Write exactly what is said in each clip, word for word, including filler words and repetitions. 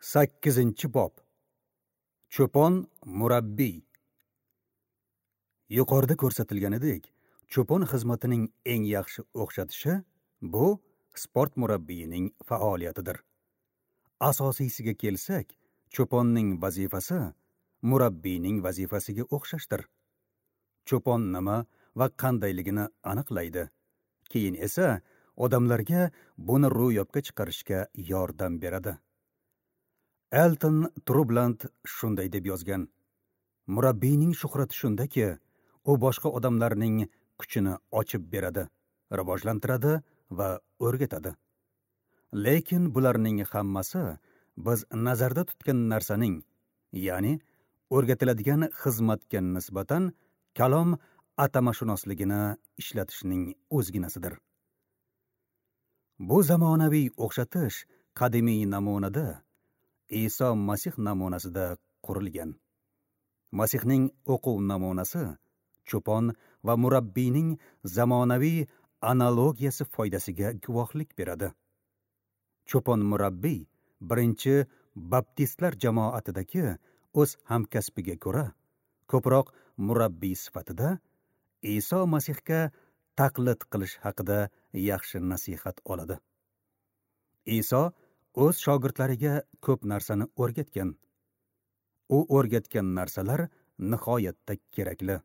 Sakkizinchi bob. Cho'pon murabbiy. Yuqorida ko'rsatilganidek, cho'pon xizmatining eng yaxshi o'xshatishi bu sport murabbiyining faoliyatidir. Asosiysiga kelsak, cho'ponning vazifasi murabbiyning vazifasiga o'xshashdir. Cho'pon nima va qandayligini aniqlaydi. Keyin esa odamlarga buni ro'yobga chiqarishga yordam beradi. Elton Trubland shunday deb yozgan: Murabbiyning shuhrati shundaki, u boshqa odamlarning kuchini ochib beradi, rivojlantiradi va o'rgatadi. Lekin bularning hammasi biz nazarda tutgan narsaning, ya'ni o'rgatiladigan xizmatga nisbatan kalom atamashunosligini ishlatishning o'zginasidir. Bu zamonaviy o'xshatish qadimiy namunada, Iso Masih namunasida qurilgan. Masihning o'quv namunasi cho'pon va murabbiyning zamonaviy analogiyasi foydasiga guvohlik beradi. Cho'pon murabbiy birinchi baptistlar jamoatidagi o'z hamkasbiga ko'ra ko'proq murabbiy sifatida Iso Masihga taqlid qilish haqida yaxshi nasihat oladi. Iso o'z shogirdlariga ko'p narsani o'rgatgan. U o'rgatgan narsalar nihoyatda kerakli.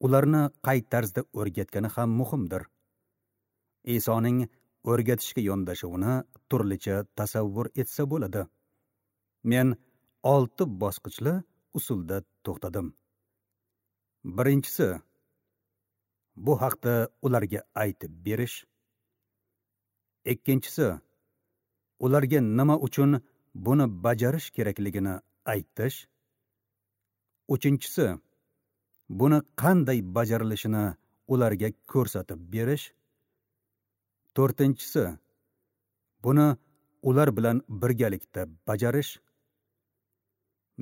Ularni qay tarzda o'rgatgani ham muhimdir. Isoning o'rgatishga yondashuvini turlicha tasavvur etsa bo'ladi. Men olti bosqichli usulda to'xtadim. Birinchisi, bu haqda ularga aytib berish. Ikkinchisi, ularga nima uchun buni bajarish kerakligini aytish. Uchinchisi, buni qanday bajarilishini ularga ko'rsatib berish. To'rtinchisi, buni ular bilan birgalikda bajarish.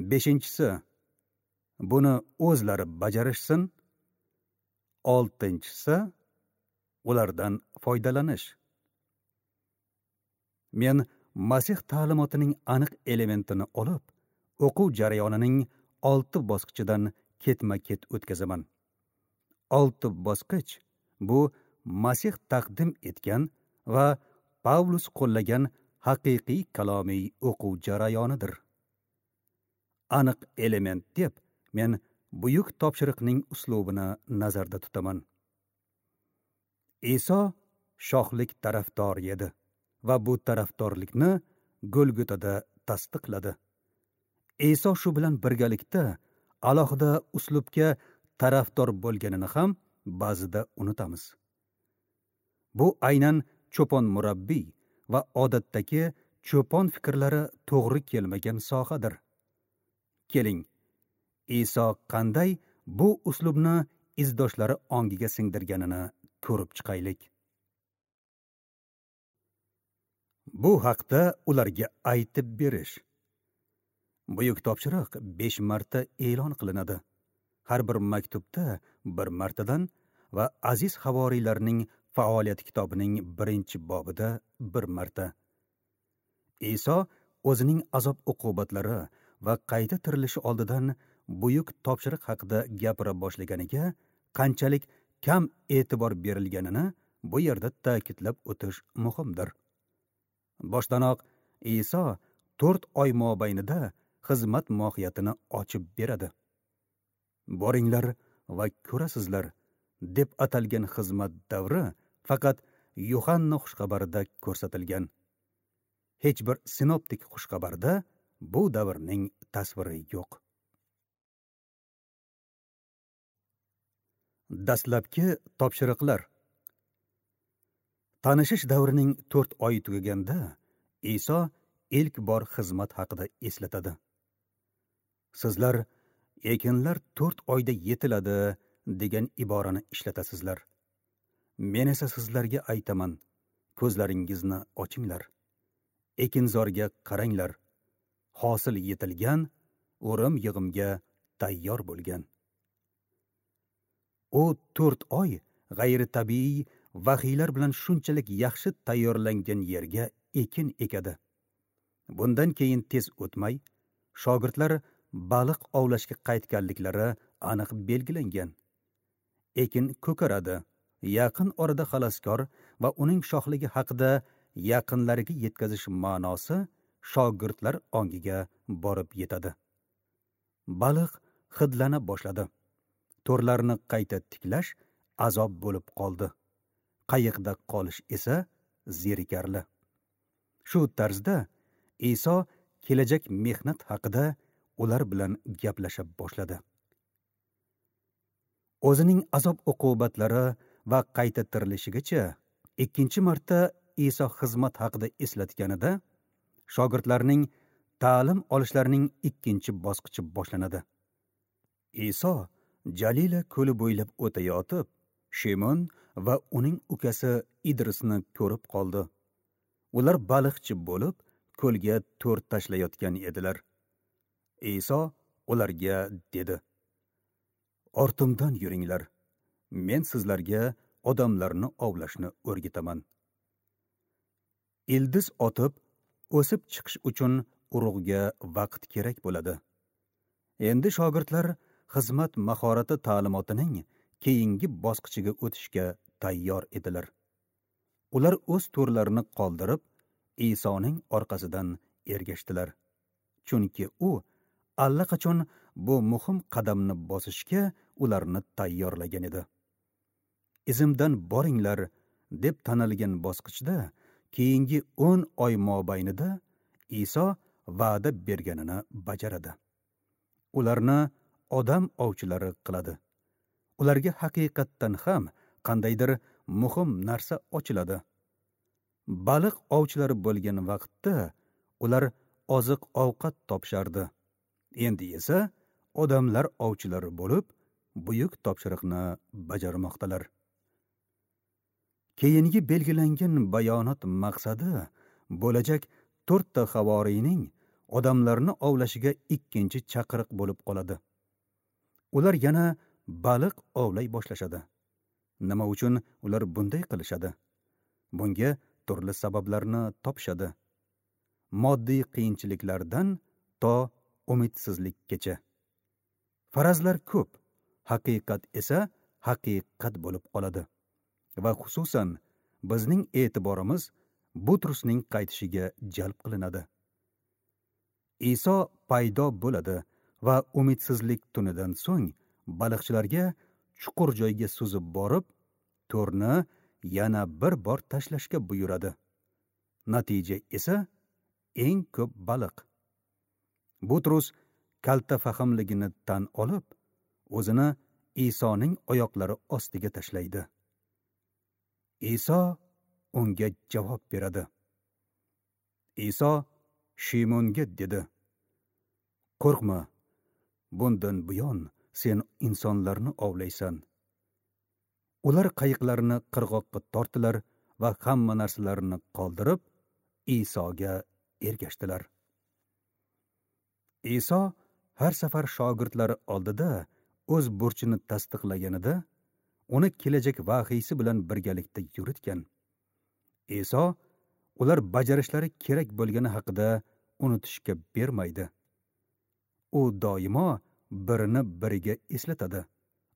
Beshinchisi, buni o'zlari bajarishsin. Oltinchisi, ulardan foydalanish. Men Masih ta'limotining aniq elementini olib, o'quv jarayonining olti bosqichidan ketma-ket o'tkazaman. Olti bosqich bu Masih taqdim etgan va Pavlus qo'llagan haqiqiy kalomiy o'quv jarayonidir. Aniq element deb men buyuk topshiriqning uslubini nazarda tutaman. Iso shohlik tarafdori edi va bu tarafdorlikni Golgotada tasdiqladi. Iso shu bilan birgalikda alohida uslubga tarafdor bo'lganini ham ba'zida unutamiz. Bu aynan cho'pon murabbiy va odatdagi cho'pon fikrlari to'g'ri kelmagan sohadir. Keling, Iso qanday bu uslubni izdoshlari ongiga singdirganini ko'rib chiqaylik. Bu haqda ularga aytib berish. Buyuk topshiriq besh marta e'lon qilinadi. Har bir maktubda bir martadan va aziz havoriylarning faoliyat kitobining birinchi bobida bir marta. Iso o'zining azob uqubatlari va qayta tirilishi oldidan buyuk topshiriq haqida gapira boshlaganiga qanchalik kam e'tibor berilganini bu yerda ta'kidlab o'tish muhimdir. Boshdanoq Iso to'rt oy mobaynida xizmat mohiyatini ochib beradi. Boringlar va ko'rasizlar deb atalgan xizmat davri faqat Yuhanna xushxabarida ko'rsatilgan. Hech bir sinoptik xushxabarda bu davrning tasviri yo'q. Dastlabki topshiriqlar. Tanishish davrining to'rt oyi tugaganda Iso ilk bor xizmat haqida eslatadi. Sizlar ekinlar to'rt oyda yetiladi degan iborani ishlatasizlar. Men esa sizlarga aytaman, ko'zlaringizni ochinglar. Ekinzorga qaranglar. Hosil yetilgan, o'rim yig'imga tayyor bo'lgan. U to'rt oy g'ayritabiiy vahiylar bilan shunchalik yaxshi tayyorlangan yerga ekin ekadi. Bundan keyin tez o'tmay, shogirdlar baliq ovlashga qaytganliklari aniq belgilangan. Ekin ko'karadi. Yaqin orada xaloskor va uning shohligi haqida yaqinlariga yetkazish ma'nosi shogirdlar ongiga borib yetadi. Baliq hidlana boshladi. To'rlarni qayta tiklash azob bo'lib qoldi. Qayiqda qolish esa zerikarli. Shu tarzda Iso kelajak mehnat haqida ular bilan gaplasha boshladi. O'zining azob uqubatlari va qayta tirilishigacha ikkinchi marta Iso xizmat haqida eslatganida shogirdlarning ta'lim olishlarining ikkinchi bosqichi boshlanadi. Iso Jalila ko'li bo'ylab o'tayotib, Shimon va uning ukasi Idrisni ko'rib qoldi. Ular baliqchi bo'lib, ko'lga to'r tashlayotgan edilar. Iso ularga dedi: "Ortimdan yuringlar. Men sizlarga odamlarni ovlashni o'rgataman." Ildiz otib, o'sib chiqish uchun urug'ga vaqt kerak bo'ladi. Endi shogirdlar xizmat mahorati ta'limotining keyingi bosqichiga o'tishga tayyor edilar. Ular o'z to'rlarini qoldirib, Isoning orqasidan ergashdilar. Chunki u allaqachon bu muhim qadamni bosishga ularni tayyorlagan edi. Izimdan boringlar deb tanilgan bosqichda keyingi o'n oy mobaynida Iso va'da berganini bajaradi. Ularni odam ovchilari qiladi. Ularga haqiqatdan ham qandaydir muhim narsa ochiladi. Baliq ovchilari bo'lgan vaqtda ular oziq-ovqat topishardi. Endi esa odamlar ovchilari bo'lib, buyuk topshiriqni bajarmoqdalar. Keyingi belgilangan bayonot maqsadi bo'lajak to'rtta havoriyning odamlarni ovlashiga ikkinchi chaqiriq bo'lib qoladi. Ular yana baliq ovlay boshlashadi. Nima uchun ular bunday qilishadi? Bunga turli sabablarni topishadi. Moddiy qiyinchiliklardan to umidsizlikkacha. Farazlar ko'p, haqiqat esa haqiqat bo'lib qoladi. Va xususan bizning e'tiborimiz Butrusning qaytishiga jalb qilinadi. Iso paydo bo'ladi va umidsizlik tunidan so'ng baliqchilarga chuqur joyga suzib borib, to'rni yana bir bor tashlashga buyuradi. Natija esa eng ko'p baliq. Butrus kalta fahmligini tan olib, o'zini Isoning oyoqlari ostiga tashlaydi. Iso unga javob beradi. Iso Shimonga dedi: "Qo'rqma, bundan buyon sen insonlarni ovlaysan." Ular qayiqlarini qirg'oqqa tortdilar va hamma narsalarini qoldirib, Isoga ergashdilar. Iso har safar shogirdlari oldida o'z burchini tasdiqlaganida, uni kelajak vahiysi bilan birgalikda yuritgan. Iso ular bajarishlari kerak bo'lgani haqida unutishga bermaydi. U doimo birini biriga eslatadi,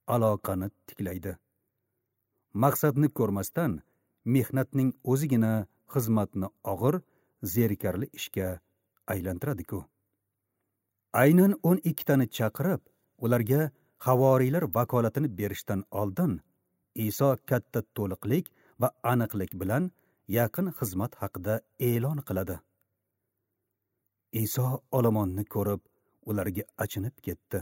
aloqani tiklaydi. Maqsadni ko'rmasdan mehnatning o'zigina xizmatni og'ir, zerikarli ishga aylantiradi-ku. Aynan o'n ikkitani chaqirib, ularga havoriylar vakolatini berishdan oldin Iso katta to'liqlik va aniqlik bilan yaqin xizmat haqida e'lon qiladi. Iso olomonni ko'rib, ularga achinib ketdi.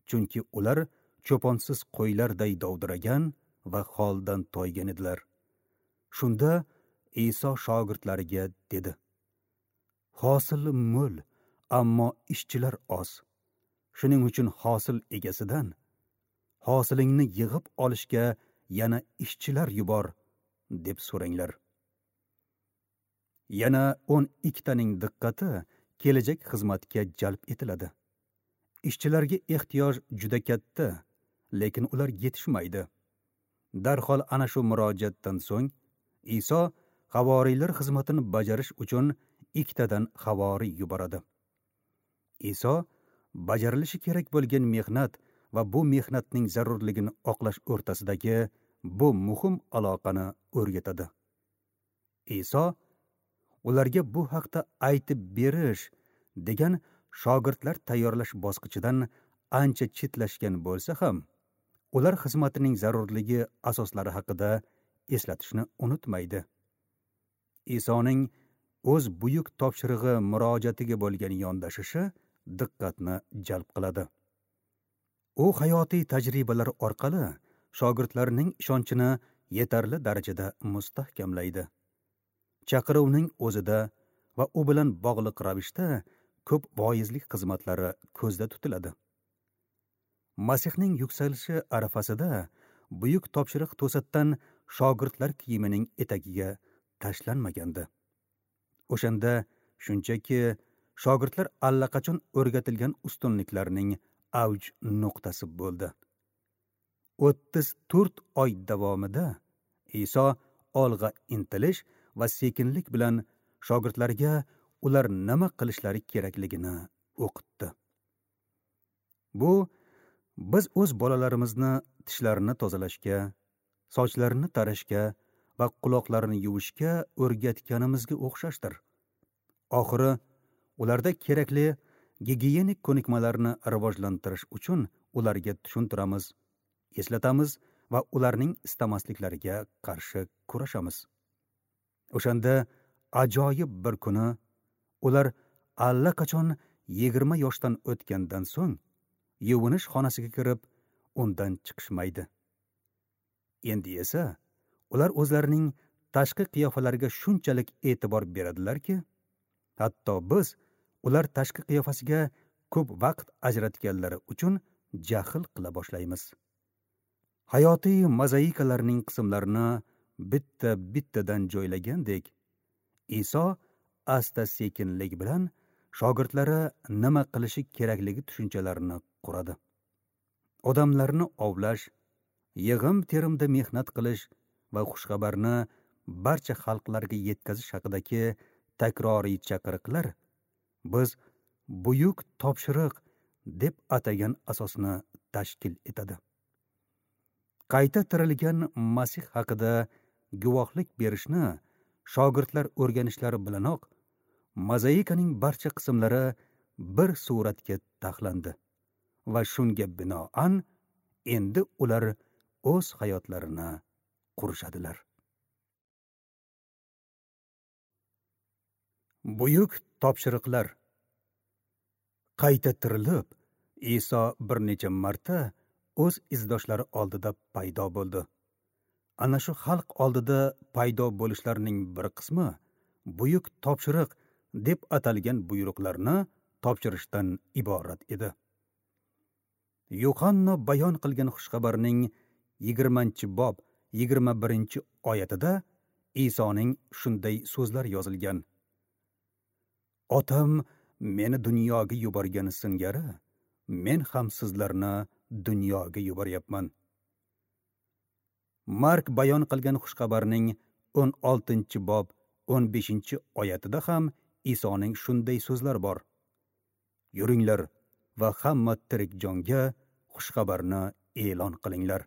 Chunki ular cho'ponsiz qo'ylarday dovdiragan va holdan toygan edilar. Shunda Iso shogirdlariga dedi: "Hosil mo'l, ammo ishchilar oz. Shuning uchun hosil egasidan hosilingni yig'ib olishga yana ishchilar yubor, deb so'ranglar." Yana o'n ikkitaning diqqati kelajak xizmatga jalb etiladi. Ishchilarga ehtiyoj juda katta, lekin ular yetishmaydi. Darhol ana shu murojaatdan so'ng Iso havoriylar xizmatini bajarish uchun ikkitadan havoriy yuboradi. Iso bajarilishi kerak bo'lgan mehnat va bu mehnatning zarurligini oqlash o'rtasidagi bu muhim aloqani o'rgatadi. Iso ularga bu haqda aytib berish degan shogirdlar tayyorlash bosqichidan ancha chetlashgan bo'lsa ham, ular xizmatining zarurligi asoslari haqida eslatishni unutmaydi. Isoning o'z buyuk topshirig'i murojaatiga bo'lgan yondashishi diqqatni jalb qiladi. U hayotiy tajribalar orqali shogirdlarning ishonchini yetarli darajada mustahkamlaydi. Chaqiruvning o'zida va u bilan bog'liq ravishda ko'p voizlik xizmatlari ko'zda tutiladi. Masihning yuksalishi arafasida buyuk topshiriq to'satdan shogirdlar kiyimining etagiga tashlanmagandi. O'shanda shunchaki shogirdlar allaqachon o'rgatilgan ustunliklarning avj nuqtasi bo'ldi. o'ttiz to'rt oy davomida Iso olg'a intilish va sekinlik bilan shogirdlarga ular nima qilishlari kerakligini o'qitdi. Bu biz o'z bolalarimizni tishlarini tozalashga, sochlarini tarashga va quloqlarini yuvishga o'rgatganimizga o'xshashdir. Oxiri ularda kerakli gigiyenik ko'nikmalarni rivojlantirish uchun ularga tushuntiramiz, eslatamiz va ularning istamasliklariga qarshi kurashamiz. O'shanda ajoyib bir kuni ular allaqachon yigirma yoshdan o'tgandan so'ng yuvinish xonasiga kirib, undan chiqishmaydi. Endi esa ular o'zlarining tashqi qiyofalariga shunchalik e'tibor beradilarki, hatto biz ular tashqi qiyofasiga ko'p vaqt ajratganlari uchun jahl qila boshlaymiz. Hayotiy mozaikalarning qismlarini bitta-bittadan joylagandek, Iso asta-sekinlik bilan shogirdlari nima qilishi kerakligi tushunchalarini quradi. Odamlarni ovlash, yig'im-terimda mehnat qilish va xushxabarni barcha xalqlarga yetkazish haqidagi takroriy chaqiriqlar biz buyuk topshiriq deb atagan asosni tashkil etadi. Qayta tirilgan Masih haqida guvohlik berishni shogirdlar o'rganishlari bilanoq mozaikaning barcha qismlari bir suratga taxlandi va shunga binoan endi ular o'z hayotlarini qurishadilar. Buyuk topshiriqlar. Qayta tirilib, Iso bir necha marta o'z izdoshlari oldida paydo bo'ldi. Ana shu xalq oldida paydo bo'lishlarining bir qismi buyuk topshiriq deb atalgan buyruqlarni topshirishdan iborat edi. Yuhanna bayon qilgan xushxabarning yigirmanchi bob yigirma birinchi oyatida Isoning shunday so'zlar yozilgan: Otam meni dunyoga yuborgani singari, men ham sizlarni dunyoga yuboryapman. Mark bayon qilgan xushxabarning o'n oltinchi bob o'n beshinchi oyatida ham Isoning shunday so'zlari bor: Yuringlar va hamma tirik jonga xushxabarni e'lon qilinglar.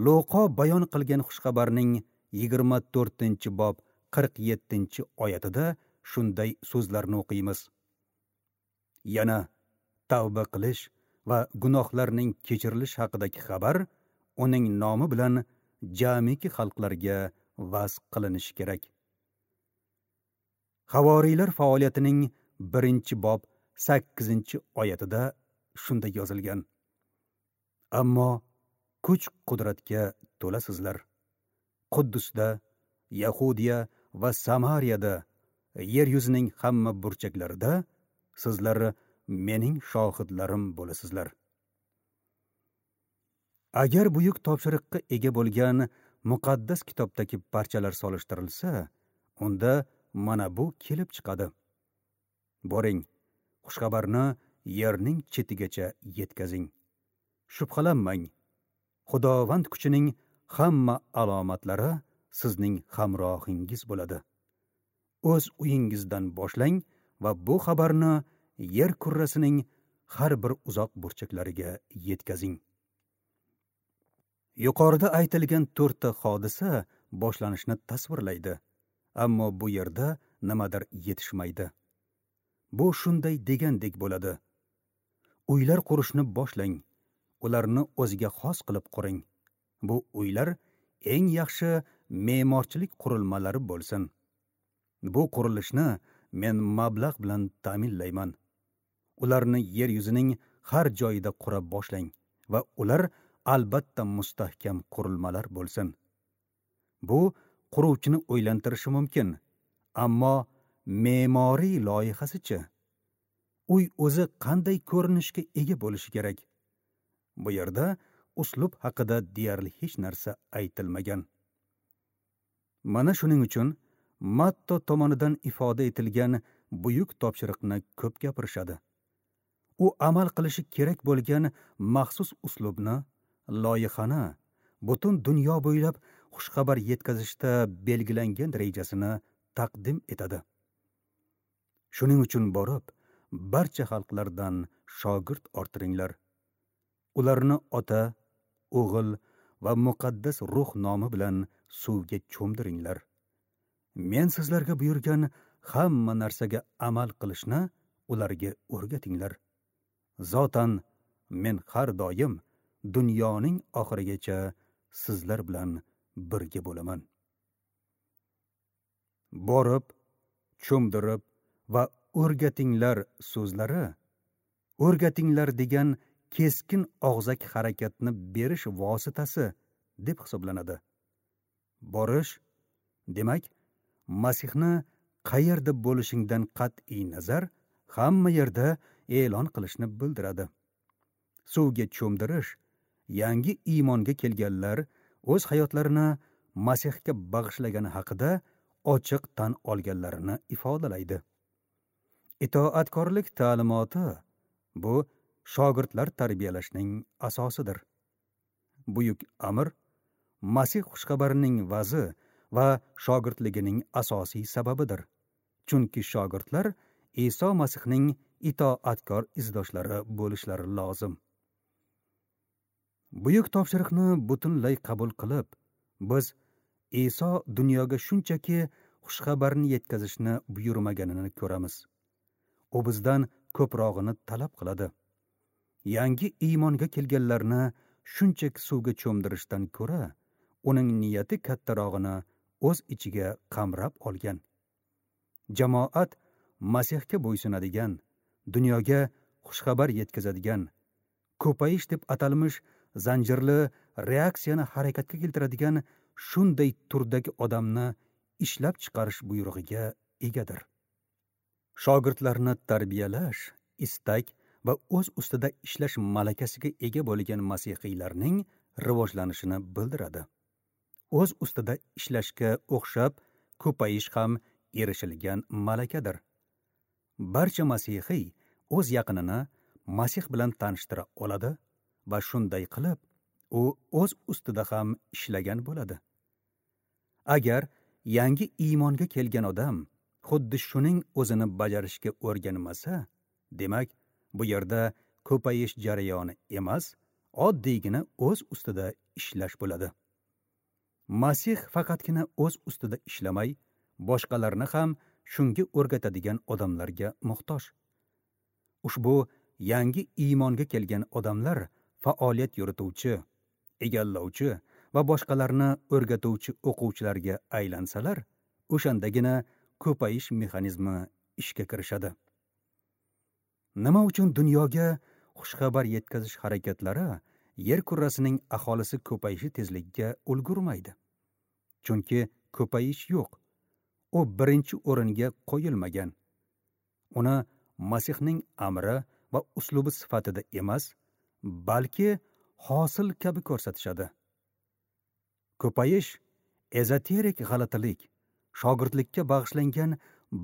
Luqo bayon qilgan xushxabarning yigirma to'rtinchi bob qirq yettinchi oyatida shunday so'zlarni o'qiymiz: Yana tavba qilish va gunohlarning kechirilishi haqidagi xabar uning nomi bilan jamiki xalqlarga vaz qilinishi kerak. Havoriylar faoliyatining birinchi bob sakkizinchi oyatida shunday yozilgan: Ammo kuch qudratga to'lasizlar. Quddusda, Yahudiya va Samariyada, yer yuzining hamma burchaklarida sizlar mening shohidlarim bo'lasizlar. Agar buyuk topshiriqqa ega bo'lgan muqaddas kitobdagi parchalar solishtirilsa, unda mana bu kelib chiqadi: Boring, xushxabarni yerning chetigacha yetkazing. Shubhalanmang, Xudovand kuchining hamma alomatlari sizning hamrohingiz bo'ladi. O'z uyingizdan boshlang va bu xabarni yer kurrasining har bir uzoq burchaklariga yetkazing. Yuqorida aytilgan to'rtta hodisa boshlanishni tasvirlaydi, ammo bu yerda nimadir yetishmaydi. Bu shunday degandek bo'ladi. Uylar qurishni boshlang, ularni o'ziga xos qilib quring. Bu uylar eng yaxshi me'morchilik qurilmalari bo'lsin. Bu qurilishni men mablag' bilan ta'minlayman. Ularni yer yuzining har joyida qura boshlang va ular albatta mustahkam qurilmalar bo'lsin. Bu quruvchini o'ylantirishi mumkin, ammo me'moriy loyihasichi? Uy o'zi qanday ko'rinishga ega bo'lishi kerak? Bu yerda uslub haqida deyarli hech narsa aytilmagan. Mana shuning uchun Matto tomonidan ifoda etilgan buyuk topshiriqni ko'p gapirishadi. U amal qilishi kerak bo'lgan maxsus uslubni, loyihani, butun dunyo bo'ylab xushxabar yetkazishda belgilangan rejasini taqdim etadi. Shuning uchun borib, barcha xalqlardan shogird orttiringlar. Ularni ota, o'g'il va muqaddas ruh nomi bilan suvga cho'mdiringlar. Men sizlarga buyurgan hamma narsaga amal qilishni ularga o'rgatinglar. Zotan men har doim dunyoning oxirigacha sizlar bilan birga bo'laman. Borib, cho'mdirib va o'rgatinglar so'zlari, o'rgatinglar degan keskin og'zaki harakatni berish vositasi deb hisoblanadi. Borish, demak, Masihni qayerda bo'lishingdan qat'iy nazar hamma yerda e'lon qilishni bildiradi. Suvga cho'mdirish, yangi iymonga kelganlar o'z hayotlarini Masihga bag'ishlagani haqida ochiq tan olganlarini ifodalaydi. Itoatkorlik ta'limoti bu shogirdlar tarbiyalashning asosidir. Buyuk amr Masih xushxabarining vazi va shogirdligining asosiy sababidir. Chunki shogirdlar Iso Masihning itoatkor izdoshlari bo'lishlari lozim. Buyuk topshiriqni butunlay qabul qilib, biz Iso dunyoga shunchaki xushxabarni yetkazishni buyurmaganini ko'ramiz. U bizdan ko'prog'ini talab qiladi. Yangi iymonga kelganlarni shunchaki suvga cho'mdirishdan ko'ra, uning niyati kattarog'ini o'z ichiga qamrab olgan. Jamoat Masihga bo'ysunadigan, dunyoga xushxabar yetkazadigan, ko'payish deb atalmish zanjirli reaksiyani harakatga keltiradigan shunday turdagi odamni ishlab chiqarish buyrug'iga egadir. Shogirdlarni tarbiyalash, istak va o'z ustida ishlash malakasiga ega bo'lgan masihiylarning rivojlanishini bildiradi. O'z ustida ishlashga o'xshab ko'payish ham erishilgan malakadir. Barcha masihiy o'z yaqinini Masih bilan tanishtira oladi va shunday qilib u o'z ustida ham ishlagan bo'ladi. Agar yangi iymonga kelgan odam xuddi shuning o'zini bajarishga o'rganmasa, demak, bu yerda ko'payish jarayoni emas, oddiygina o'z ustida ishlash bo'ladi. Masih faqatgina o'z ustida ishlamay, boshqalarni ham shunga o'rgatadigan odamlarga muhtoj. Ushbu yangi iymonga kelgan odamlar faoliyat yurituvchi, egallovchi va boshqalarni o'rgatuvchi o'quvchilarga aylansalar, o'shandagina ko'payish mexanizmi ishga kirishadi. Nima uchun dunyoga xushxabar yetkazish harakatlari yer kurrasining aholisi ko'payishi tezligiga ulgurmaydi? Chunki ko'payish yo'q. U birinchi o'ringa qo'yilmagan. Uni Masihning amri va uslubi sifatida emas, balki hosil kabi ko'rsatishadi. Ko'payish ezoterik g'alatilik, shogirdlikka bag'ishlangan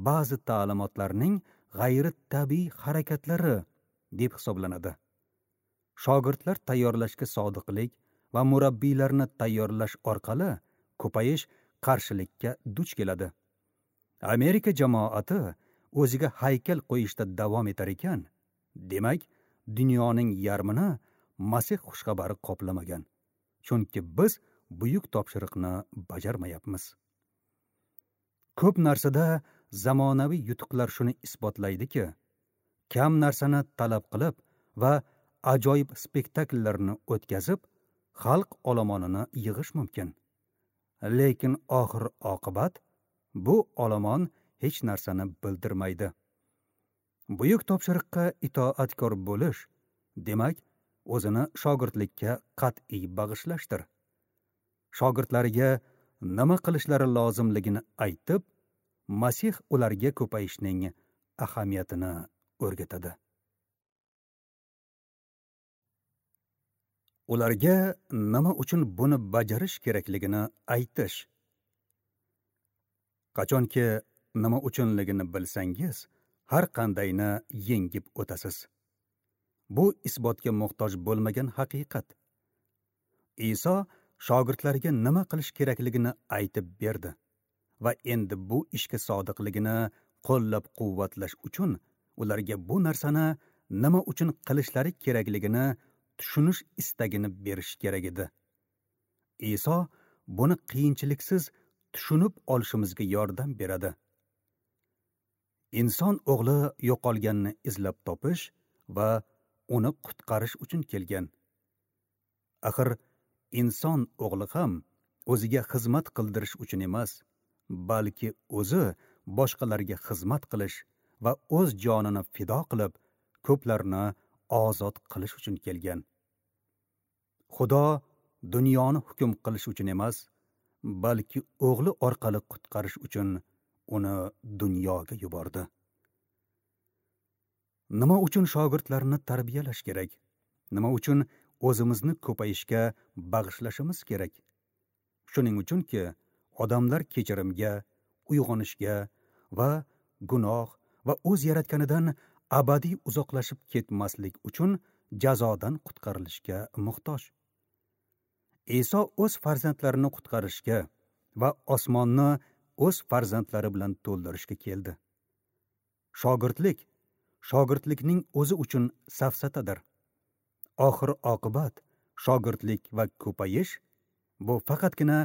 ba'zi ta'limotlarning g'ayri-tabiiy harakatlari deb hisoblanadi. Shogirdlar tayyorlashga sodiqlik va murabbiylarni tayyorlash orqali ko'payish qarshilikka duch keladi. Amerika jamoati o'ziga haykal qo'yishda davom etar ekan, demak, dunyoning yarmini Masih xushxabari qoplamagan. Chunki biz buyuk topshiriqni bajarmayapmiz. Ko'p narsada zamonaviy yutuqlar shuni isbotlaydiki, kam narsani talab qilib va ajoyib spektakllarni o'tkazib, xalq olomonini yig'ish mumkin. Lekin oxir oqibat bu olomon hech narsani bildirmaydi. Buyuk topshiriqqa itoatkor bo'lish, demak, o'zini shogirdlikka qat'iy bag'ishlashdir. Shogirdlariga nima qilishlari lozimligini aytib, Masih ularga ko'payishning ahamiyatini o'rgatadi. Ularga nima uchun buni bajarish kerakligini aytish. Qachonki nima uchunligini bilsangiz, har qandayni yengib o'tasiz. Bu isbotga muhtoj bo'lmagan haqiqat. Iso shogirdlarga nima qilish kerakligini aytib berdi va endi bu ishga sodiqligini qo'llab-quvvatlash uchun ularga bu narsani nima uchun qilishlari kerakligini tushunish istagini berish kerak edi. Iso buni qiyinchiliksiz tushunib olishimizga yordam beradi. Inson o'g'li yo'qolganni izlab topish va uni qutqarish uchun kelgan. Axir inson o'g'li ham o'ziga xizmat qildirish uchun emas, balki o'zi boshqalarga xizmat qilish va o'z jonini fido qilib, ko'plarni ozod qilish uchun kelgan. Xudo dunyoni hukm qilish uchun emas, balki o'g'li orqali qutqarish uchun uni dunyoga yubordi. Nima uchun shogirdlarni tarbiyalash kerak? Nima uchun o'zimizni ko'payishga bag'ishlashimiz kerak? Shuning uchunki, odamlar kechirimga, uyg'onishga va gunoh va o'z yaratganidan abadiy uzoqlashib ketmaslik uchun jazodan qutqarilishga muhtoj. Iso o'z farzandlarini qutqarishga va osmonni o'z farzandlari bilan to'ldirishga keldi. Shogirdlik, shogirdlikning o'zi uchun safsatadir. Oxir oqibat shogirdlik va ko'payish bu faqatgina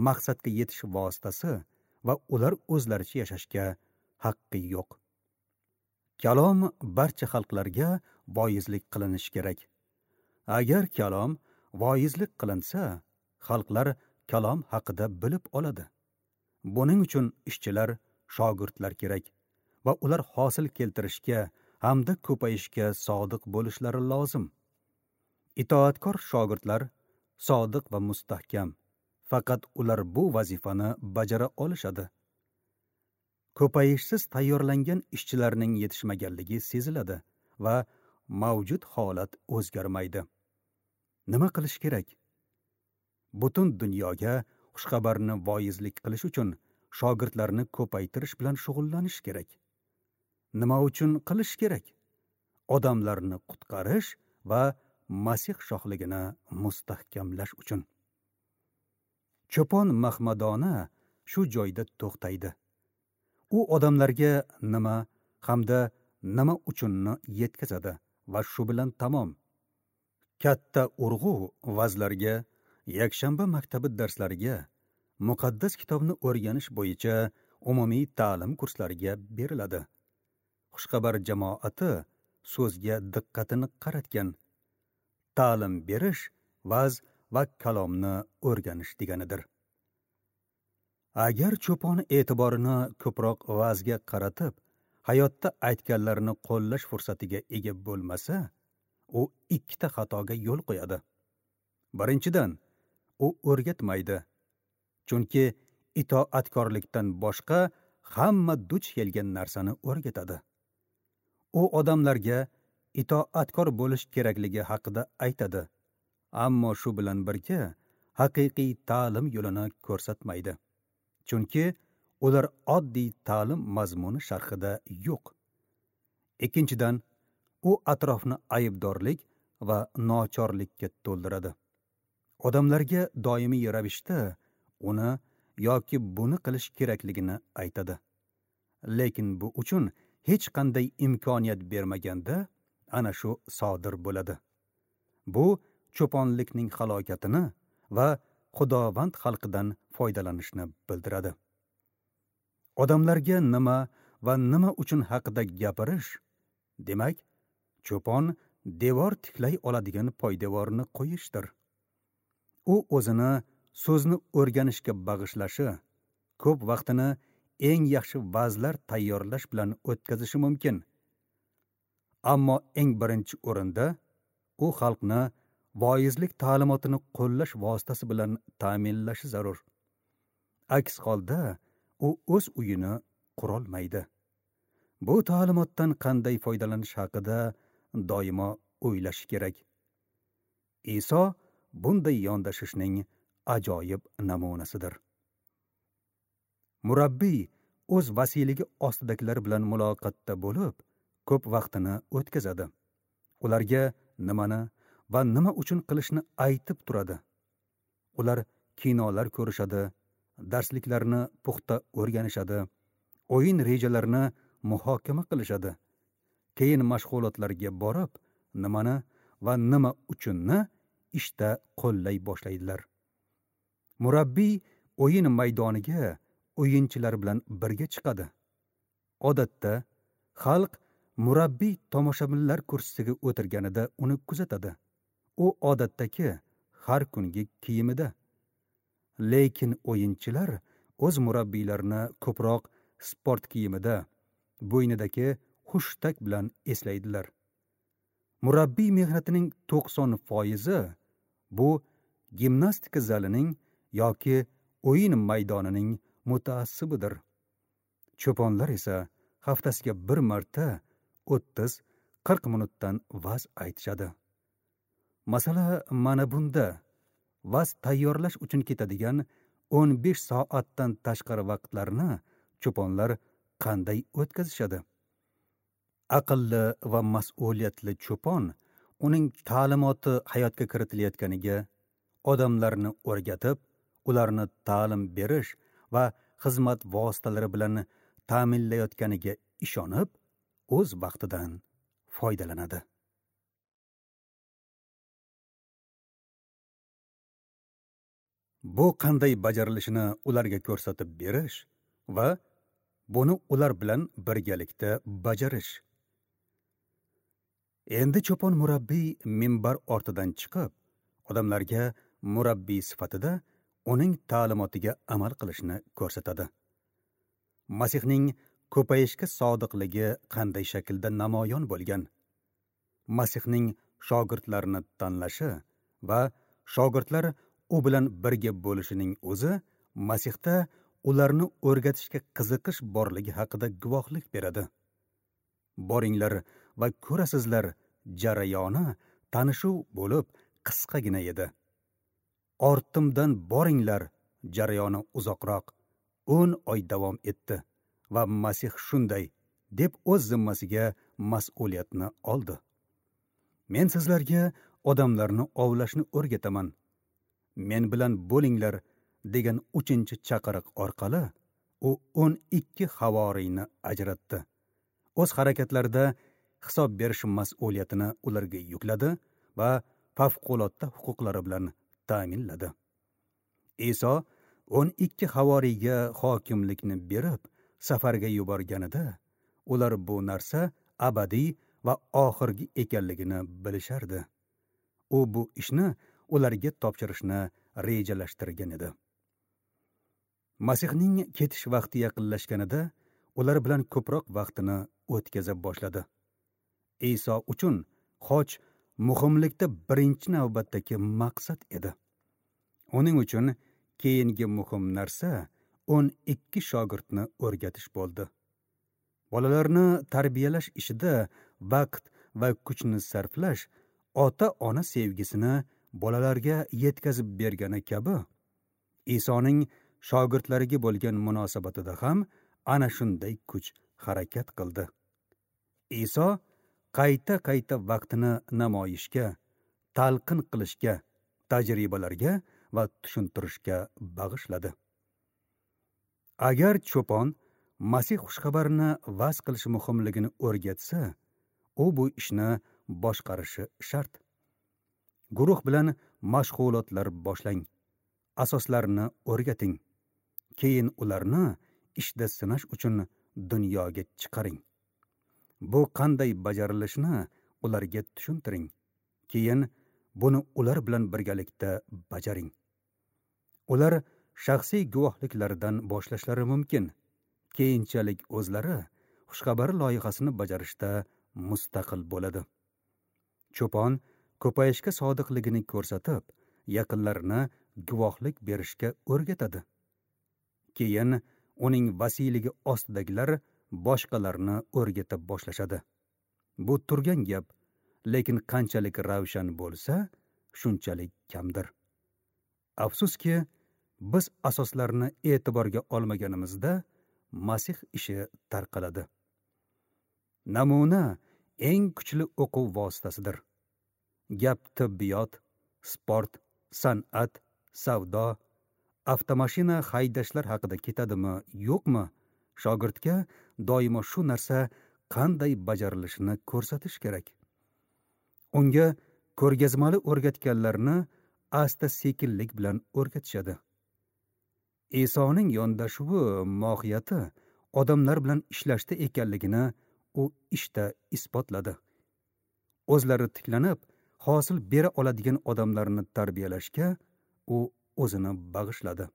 maqsadga yetish vositasi va ular o'zlaricha yashashga haqqi yo'q. Kalom barcha xalqlarga voizlik qilinishi kerak. Agar kalom voizlik qilinsa, xalqlar kalom haqida bilib oladi. Buning uchun ishchilar, shogirdlar kerak va ular hosil keltirishga hamda ko'payishga sodiq bo'lishlari lozim. Itoatkor shogirdlar sodiq va mustahkam. Faqat ular bu vazifani bajara olishadi. Ko'payishsiz tayyorlangan ishchilarning yetishmaganligi seziladi va mavjud holat o'zgarmaydi. Nima qilish kerak? Butun dunyoga xushxabarni voizlik qilish uchun shogirdlarni ko'paytirish bilan shug'ullanish kerak. Nima uchun qilish kerak? Odamlarni qutqarish va Masih shohligini mustahkamlash uchun. Cho'pon mahmadona shu joyda to'xtaydi. U odamlarga nima hamda nima uchunni yetkazadi va shu bilan tamom. Katta urg'u vazlarga, yakshanba maktabi darslariga, muqaddas kitobni o'rganish bo'yicha umumiy ta'lim kurslariga beriladi. Xushxabar jamoati so'zga diqqatini qaratgan. Ta'lim berish, vaz va kalomni o'rganish deganidir. Agar cho'pon e'tiborini ko'proq vazga qaratib, hayotda aytganlarini qo'llash fursatiga ega bo'lmasa, u ikkita xatoga yo'l qo'yadi. Birinchidan, u o'rgatmaydi. Chunki itoatkorlikdan boshqa hamma duch kelgan narsani o'rgatadi. U odamlarga itoatkor bo'lish kerakligi haqida aytadi, ammo shu bilan birga haqiqiy ta'lim yo'lini ko'rsatmaydi. Chunki ular oddiy ta'lim mazmuni sharhida yo'q. Ikkinchidan, u atrofni aybdorlik va nochorlikka to'ldiradi. Odamlarga doimiy ravishda uni yoki buni qilish kerakligini aytadi. Lekin bu uchun hech qanday imkoniyat bermaganda ana shu sodir bo'ladi. Bu cho'ponlikning halokatini va Xudovand xalqidan foydalanishni bildiradi. Odamlarga nima va nima uchun haqida gapirish, demak, cho'pon devor tiklay oladigan poydevorni qo'yishdir. U o'zini so'zni o'rganishga bag'ishlashi, ko'p vaqtini eng yaxshi va'zlar tayyorlash bilan o'tkazishi mumkin. Ammo eng birinchi o'rinda u xalqni voizlik ta'limotini qo'llash vositasi bilan ta'minlashi zarur. Aks holda u o'z uyini qurolmaydi. Bu ta'limotdan qanday foydalanish haqida doimo o'ylashi kerak. Iso bunday yondashishning ajoyib namunasidir. Murabbiy o'z vasiyligi ostidagilar bilan muloqotda bo'lib, ko'p vaqtini o'tkazadi. Ularga nimani va nima uchun qilishni aytib turadi. Ular kinolar ko'rishadi, darsliklarni puxta o'rganishadi, o'yin rejalarini muhokama qilishadi. Keyin mashg'ulotlarga borib, nimani va nima uchunni ishda qo'llay boshlaydilar. Murabbiy o'yin maydoniga o'yinchilar bilan birga chiqadi. Odatda xalq murabbiy tomoshabinlar kursisiga o'tirganida uni kuzatadi. U odatdagi har kungi kiyimida. Lekin o'yinchilar o'z murabbiylarini ko'proq sport kiyimida, bo'ynidagi hushtak bilan eslaydilar. Murabbiy mehnatining to'qson foizi bu gimnastika zalining yoki o'yin maydonining mutaassibidir. Cho'ponlar esa haftasiga bir marta o'ttiz qirq minutdan va'z aytishadi. Masala mana bunda. Va'z tayyorlash uchun ketadigan o'n besh soatdan tashqari vaqtlarni cho'ponlar qanday o'tkazishadi? Aqlli va mas'uliyatli cho'pon uning ta'limoti hayotga kiritilayotganiga, odamlarni o'rgatib, ularni ta'lim berish va xizmat vositalari bilan ta'minlayotganiga ishonib, o'z vaqtidan foydalanadi. Bu qanday bajarilishini ularga ko'rsatib berish va buni ular bilan birgalikda bajarish. Endi cho'pon murabbiy minbar ortidan chiqib, odamlarga murabbiy sifatida uning ta'limotiga amal qilishni ko'rsatadi. Masihning ko'payishga sodiqligi qanday shaklda namoyon bo'lgan? Masihning shogirdlarini tanlashi va shogirdlar u bilan birga bo'lishining o'zi Masihda ularni o'rgatishga qiziqish borligi haqida guvohlik beradi. Boringlar va ko'rasizlar jarayoni tanishuv bo'lib qisqagina edi. Ortimdan boringlar jarayoni uzoqroq, o'n oy davom etdi va Masih shunday deb o'z zimmasiga mas'uliyatni oldi. Men sizlarga odamlarni ovlashni o'rgataman. Men bilan bo'linglar degan uchinchi chaqiriq orqali u o'n ikki havoriyni ajratdi. O'z harakatlarida hisob berish mas'uliyatini ularga yukladi va favqulodda huquqlari bilan ta'minladi. Iso o'n ikki havoriyga hokimlikni berib, safarga yuborganida, ular bu narsa abadiy va oxirgi ekanligini bilishardi. U bu ishni ularga topshirishni rejalashtirgan edi. Masihning ketish vaqti yaqinlashganida, ular bilan ko'proq vaqtini o'tkaza boshladi. Iso uchun xoch muhimlikda birinchi navbatdagi maqsad edi. Uning uchun keyingi muhim narsa o'n ikki shogirdni o'rgatish bo'ldi. Bolalarni tarbiyalash ishida vaqt va kuchni sarflash ota-ona sevgisini bolalarga yetkazib bergani kabi, Isoning shogirdlariga bo'lgan munosabatida ham ana shunday kuch harakat qildi. Iso qayta-qayta vaqtini namoyishga, talqin qilishga, tajribalarga va tushuntirishga bag'ishladi. Agar cho'pon Masih xushxabarini va'z qilish muhimligini o'rgatsa, u bu ishni boshqarishi shart. Guruh bilan mashg'ulotlar boshlang. Asoslarni o'rgating. Keyin ularni ishda sinash uchun dunyoga chiqaring. Bu qanday bajarilishini ularga tushuntiring. Keyin buni ular bilan birgalikda bajaring. Ular shaxsiy guvohliklaridan boshlashlari mumkin. Keyinchalik o'zlari xushxabar loyihasini bajarishda mustaqil bo'ladi. Cho'pon ko'payishga sodiqligini ko'rsatib, yaqinlarini guvohlik berishga o'rgatadi. Keyin uning vasiyligi ostidagilar boshqalarni o'rgata boshlashadi. Bu turgan gap, lekin qanchalik ravshan bo'lsa, shunchalik kamdir. Afsuski, biz asoslarni e'tiborga olmaganimizda Masih ishi tarqaladi. Namuna eng kuchli o'quv vositasidir. Gap tibbiyot, sport, san'at, savdo, avtomashina haydashlar haqida ketadimi, yo'qmi? Shogirdga doimo shu narsa qanday bajarilishini ko'rsatish kerak. Unga ko'rgazmali o'rgatganlarni asta-sekinlik bilan o'rgatishadi. Isoning yondashuvi mohiyati odamlar bilan ishlashda ekanligini u ishda isbotladi. O'zlari tiklanib, hosil bera oladigan odamlarni tarbiyalashga u o'zini bag'ishladi.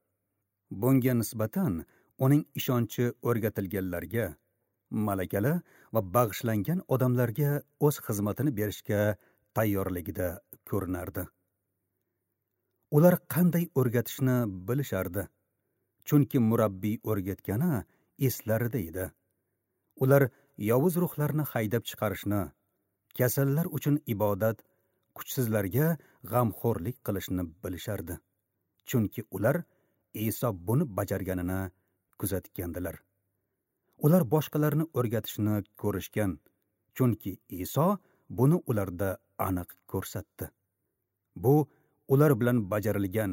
Bunga nisbatan uning ishonchi o'rgatilganlarga, malakali va bag'ishlangan odamlarga o'z xizmatini berishga tayyorligida ko'rinardi. Ular qanday o'rgatishni bilishardi, chunki murabbiy o'rgatgani eslarida edi. Ular yovuz ruhlarni haydab chiqarishni, kasallar uchun ibodat, kuchsizlarga g'amxo'rlik qilishni bilishardi, chunki ular Iso buni bajarganini kuzatgandilar. Ular boshqalarni o'rgatishni ko'rishgan, chunki Iso buni ularda aniq ko'rsatdi. Bu ular bilan bajarilgan,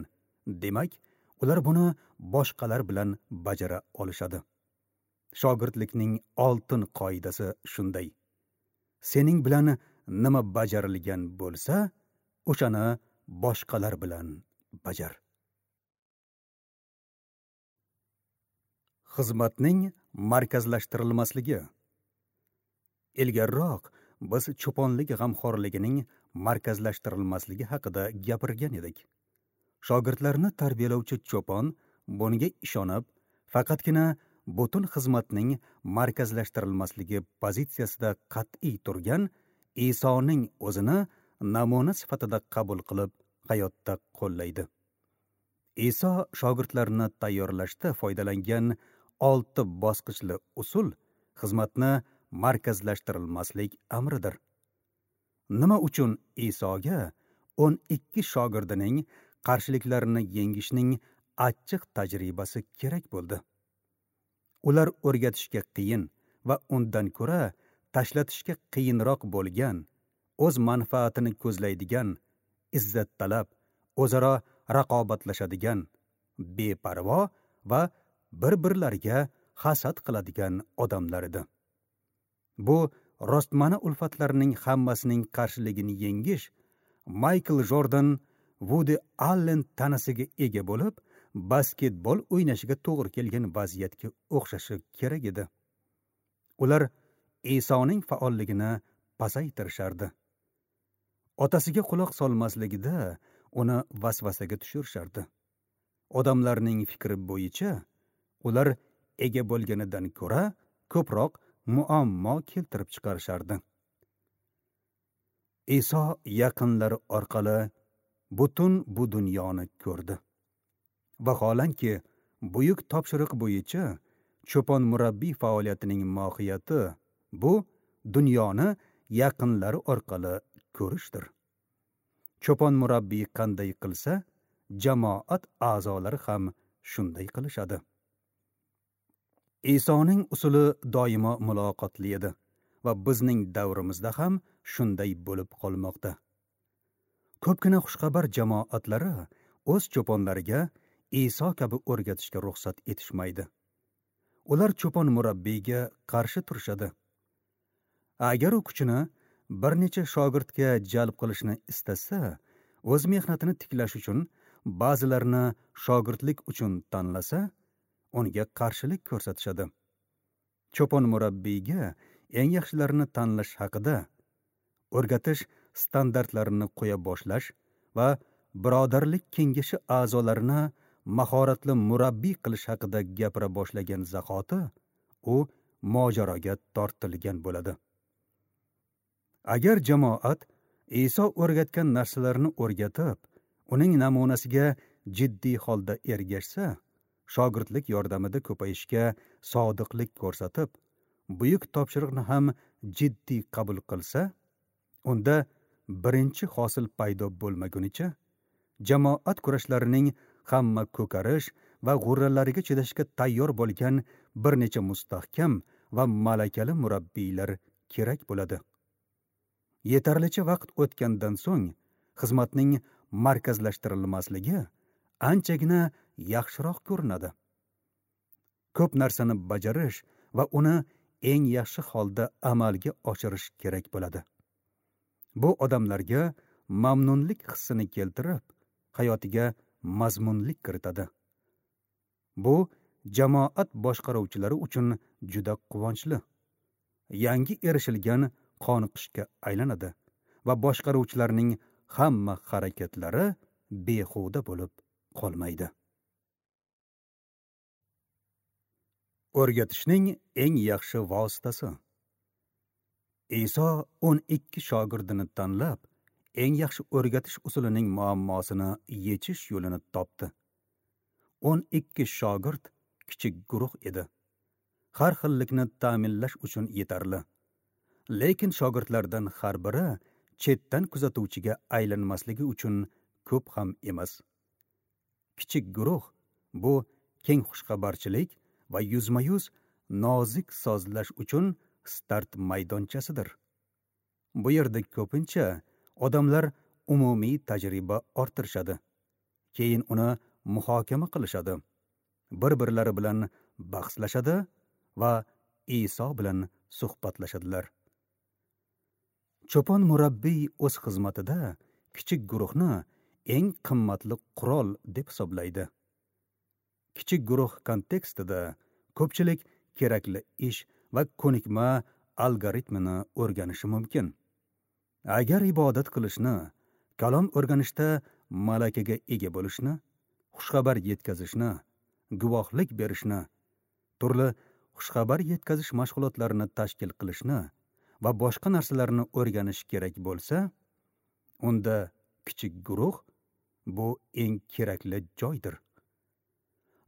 demak, ular buni boshqalar bilan bajara olishadi. Shogirdlikning oltin qoidasi shunday: sening bilan nima bajarilgan bo'lsa, o'shani boshqalar bilan bajar. Xizmatning markazlashtirilmasligi. Ilgariroq biz cho'ponlik g'amxo'rligining markazlashtirilmasligi haqida gapirgan edik. Shogirdlarni tarbiyalovchi cho'pon bunga ishonib, faqatgina butun xizmatning markazlashtirilmasligi pozitsiyasida qat'iy turgan Isoning o'zini namuna sifatida qabul qilib, hayotda qo'llaydi. Iso shogirdlarni tayyorlashda foydalangan olti bosqichli usul xizmatni markazlashtirilmaslik amridir. Nima uchun Isoga o'n ikki shogirdining qarshiliklarini yengishning achchiq tajribasi kerak bo'ldi? Ular o'rgatishga qiyin va undan ko'ra tashlatishga qiyinroq bo'lgan, o'z manfaatini ko'zlaydigan, izzattalab, o'zaro raqobatlashadigan, beparvo va bir-birlariga hasad qiladigan odamlar edi. Bu rostmana ulfatlarning hammasining qarshiligini yengish Maykl Jordan, Vudi Allen tanasiga ega bo'lib, basketbol o'ynashiga to'g'ri kelgan vaziyatga o'xshashi kerak edi. Ular Isoning faolligini pasaytirishardi. Otasiga quloq solmasligida uni vasvasaga tushirishardi. Odamlarning fikri bo'yicha ular ega bo'lganidan ko'ra ko'proq muammo keltirib chiqarishardi. Iso yaqinlari orqali butun bu dunyoni ko'rdi. Vaholanki, buyuk topshiriq bo'yicha cho'pon murabbiy faoliyatining mohiyati bu dunyoni yaqinlari orqali ko'rishdir. Cho'pon murabbiy qanday qilsa, jamoat a'zolari ham shunday qilishadi. Isoning usuli doimo muloqotli edi va bizning davrimizda ham shunday bo'lib qolmoqda. Ko'pgina xushxabar jamoatlari o'z cho'ponlariga Iso kabi o'rgatishga ruxsat etishmaydi. Ular cho'pon murabbiyga qarshi turishadi. Agar u kuchini bir necha shogirdga jalb qilishni istasa, o'z mehnatini tiklash uchun ba'zilarini shogirdlik uchun tanlasa, unga qarshilik ko'rsatishadi. Cho'pon murabbiyga eng yaxshilarini tanlash haqida o'rgatish standartlarini qo'ya boshlash va birodarlik kengashi a'zolarini mahoratli murabbiy qilish haqida gapira boshlagan zahoti u mojaroga tortilgan bo'ladi. Agar jamoat Iso o'rgatgan narsalarni o'rgatib, uning namunasiga jiddiy holda ergashsa, shogirdlik yordamida ko'payishga sodiqlik ko'rsatib, buyuk topshiriqni ham jiddiy qabul qilsa, unda birinchi hosil paydo bo'lmagunicha jamoat kurashlarining hamma ko'karish va g'urralariga chidashga tayyor bo'lgan bir necha mustahkam va malakali murabbiylar kerak bo'ladi. Yetarlicha vaqt o'tgandan so'ng xizmatning markazlashtirilmasligi anchagina yaxshiroq ko'rinadi. Ko'p narsani bajarish va uni eng yaxshi holda amalga oshirish kerak bo'ladi. Bu odamlarga mamnunlik hissini keltirib, hayotiga mazmunlik kiritadi. Bu jamoat boshqaruvchilari uchun juda quvonchli. Yangi erishilgan qoniqishga aylanadi va boshqaruvchilarning hamma harakatlari behuda bo'lib qolmaydi. O'rgatishning eng yaxshi vositasi. Iso o'n ikki shogirdini tanlab, eng yaxshi o'rgatish usulining muammosini yechish yo'lini topdi. o'n ikki shogird kichik guruh edi. Har xillikni ta'minlash uchun yetarli. Lekin shogirdlardan har biri chetdan kuzatuvchiga aylanmasligi uchun ko'p ham emas. Kichik guruh bu keng xushxabarchilik va yuzma-yuz nozik sozlash uchun start maydonchasidir. Bu yerda ko'pincha odamlar umumiy tajriba orttirishadi. Keyin uni muhokama qilishadi. Bir-birlari bilan bahslashadi va Iso bilan suhbatlashadilar. Cho'pon murabbiy o'z xizmatida kichik guruhni eng qimmatli qurol deb hisoblaydi. Kichik guruh kontekstida ko'pchilik kerakli ish va ko'nikma algoritmini o'rganishi mumkin. Agar ibodat qilishni, kalom o'rganishda malakaga ega bo'lishni, xushxabar yetkazishni, guvohlik berishni, turli xushxabar yetkazish mashg'ulotlarini tashkil qilishni va boshqa narsalarni o'rganish kerak bo'lsa, unda kichik guruh bu eng kerakli joydir.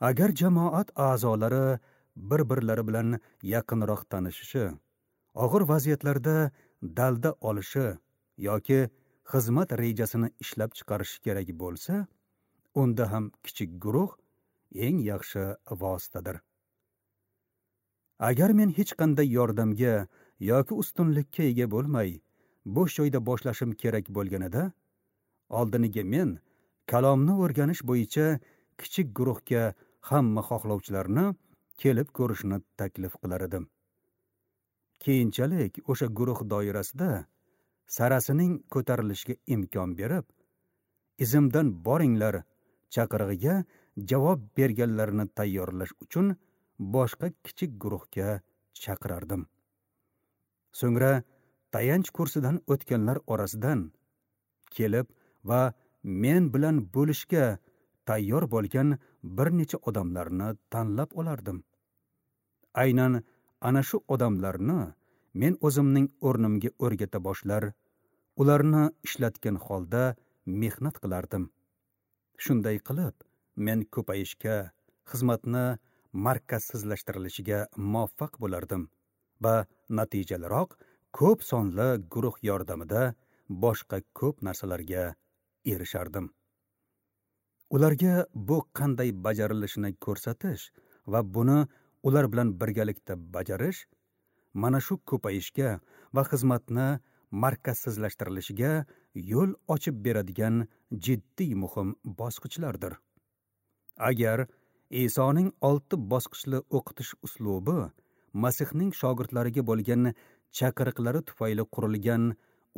Agar jamoat a'zolari bir-birlari bilan yaqinroq tanishishi, og'ir vaziyatlarda dalda olishi yoki xizmat rejasini ishlab chiqarishi kerak bo'lsa, unda ham kichik guruh eng yaxshi vositadir. Agar men hech qanday yordamga yoki ustunlikka ega bo'lmay, bo'sh joyda boshlashim kerak bo'lganida, oldiniga men kalomni o'rganish bo'yicha kichik guruhga hamma xohlovchilarni kelib ko'rishni taklif qilar edim. Keyinchalik o'sha guruh doirasida sarasining ko'tarilishiga imkon berib, izimdan boringlar chaqirig'iga javob berganlarni tayyorlash uchun boshqa kichik guruhga chaqirardim. So'ngra tayanch kursidan o'tganlar orasidan kelib va men bilan bo'lishga tayyor bo'lgan bir necha odamlarni tanlab olardim. Aynan ana shu odamlarni men o'zimning o'rnimga o'rgata boshlar, ularni ishlatgan holda mehnat qilardim. Shunday qilib, men ko'payishga, xizmatni markazsizlashtirilishiga muvaffaq bo'lardim va natijaliroq ko'p sonli guruh yordamida boshqa ko'p narsalarga erishardim. Ularga bu qanday bajarilishini ko'rsatish va buni ular bilan birgalikda bajarish mana shu ko'payishga va xizmatni markazsizlashtirilishiga yo'l ochib beradigan jiddiy muhim bosqichlardir. Agar Isoning olti bosqichli o'qitish uslubi Masihning shogirdlariga bo'lgan chaqiriqlari tufayli qurilgan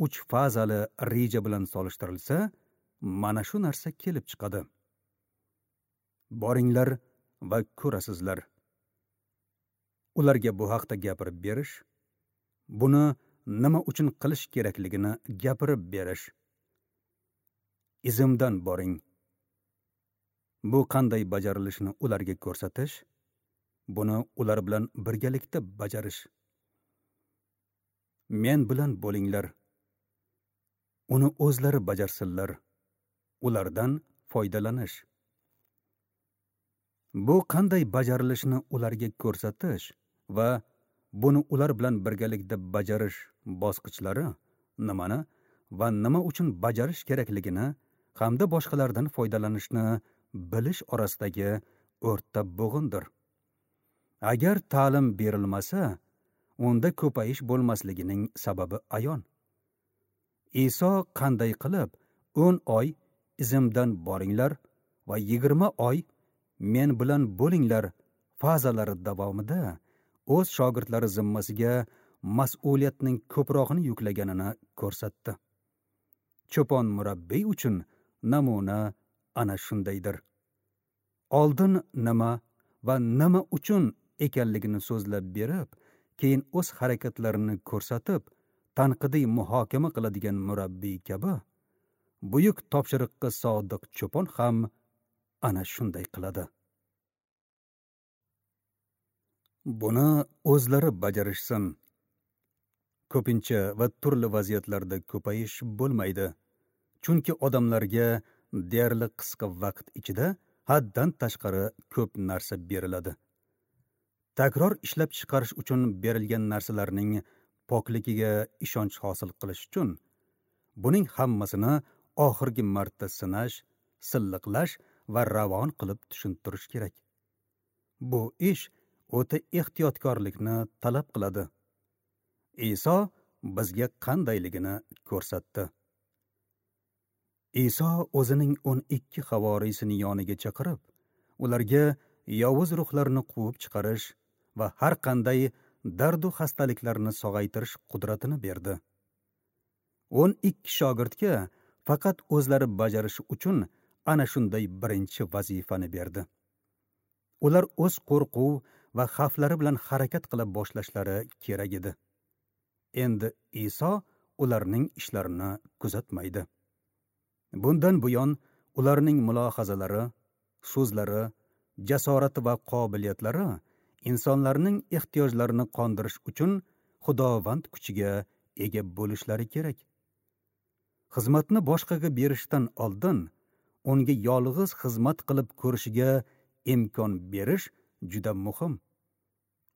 uch fazali reja bilan solishtirilsa, mana shu narsa kelib chiqadi. Boringlar va ko'rasizlar. Ularga bu haqda gapirib berish, buni nima uchun qilish kerakligini gapirib berish. Izimdan boring. Bu qanday bajarilishini ularga ko'rsatish, buni ular bilan birgalikda bajarish. Men bilan bo'linglar. Uni o'zlari bajarsinlar. Ulardan foydalanish. Bu qanday bajarilishini ularga ko'rsatish va buni ular bilan birgalikda bajarish bosqichlari nimani va nima uchun bajarish kerakligini hamda boshqalardan foydalanishni bilish orasidagi o'rta bo'g'indir. Agar ta'lim berilmasa, unda ko'payish bo'lmasligining sababi ayon. Iso qanday qilib o'n oy izimdan boringlar va yigirma oy men bilan bo'linglar fazalari davomida o'z shogirdlari zimmasiga mas'uliyatning ko'prog'ini yuklaganini ko'rsatdi. Cho'pon murabbiy uchun namuna ana shundaydir. Oldin nima va nima uchun ekanligini so'zlab berib, keyin o'z harakatlarini ko'rsatib, tanqidiy muhokama qiladigan murabbiy kabi buyuk topshiriqqa sodiq cho'pon ham ana shunday qiladi. Buni o'zlari bajarishsin. Ko'pincha va turli vaziyatlarda ko'payish bo'lmaydi. Chunki odamlarga deyarli qisqa vaqt ichida haddan tashqari ko'p narsa beriladi. Takror ishlab chiqarish uchun berilgan narsalarning pokligiga ishonch hosil qilish uchun buning hammasini oxirgi marta sinash, silliqlash va ravon qilib tushuntirish kerak. Bu ish o'ta ehtiyotkorlikni talab qiladi. Iso bizga qandayligini ko'rsatdi. Iso o'zining o'n ikki havorisini yoniga chaqirib, ularga yovuz ruhlarni quvib chiqarish va har qanday dardu xastaliklarni sog'aytirish qudratini berdi. o'n ikki shogirdga faqat o'zlari bajarishi uchun ana shunday birinchi vazifani berdi. Ular o'z qo'rquv va xavflari bilan harakat qila boshlashlari kerak edi. Endi Iso ularning ishlarini kuzatmaydi. Bundan buyon ularning mulohazalari, so'zlari, jasorati va qobiliyatlari insonlarning ehtiyojlarini qondirish uchun Xudovand kuchiga ega bo'lishlari kerak. Xizmatni boshqaga berishdan oldin unga yolg'iz xizmat qilib ko'rishiga imkon berish juda muhim.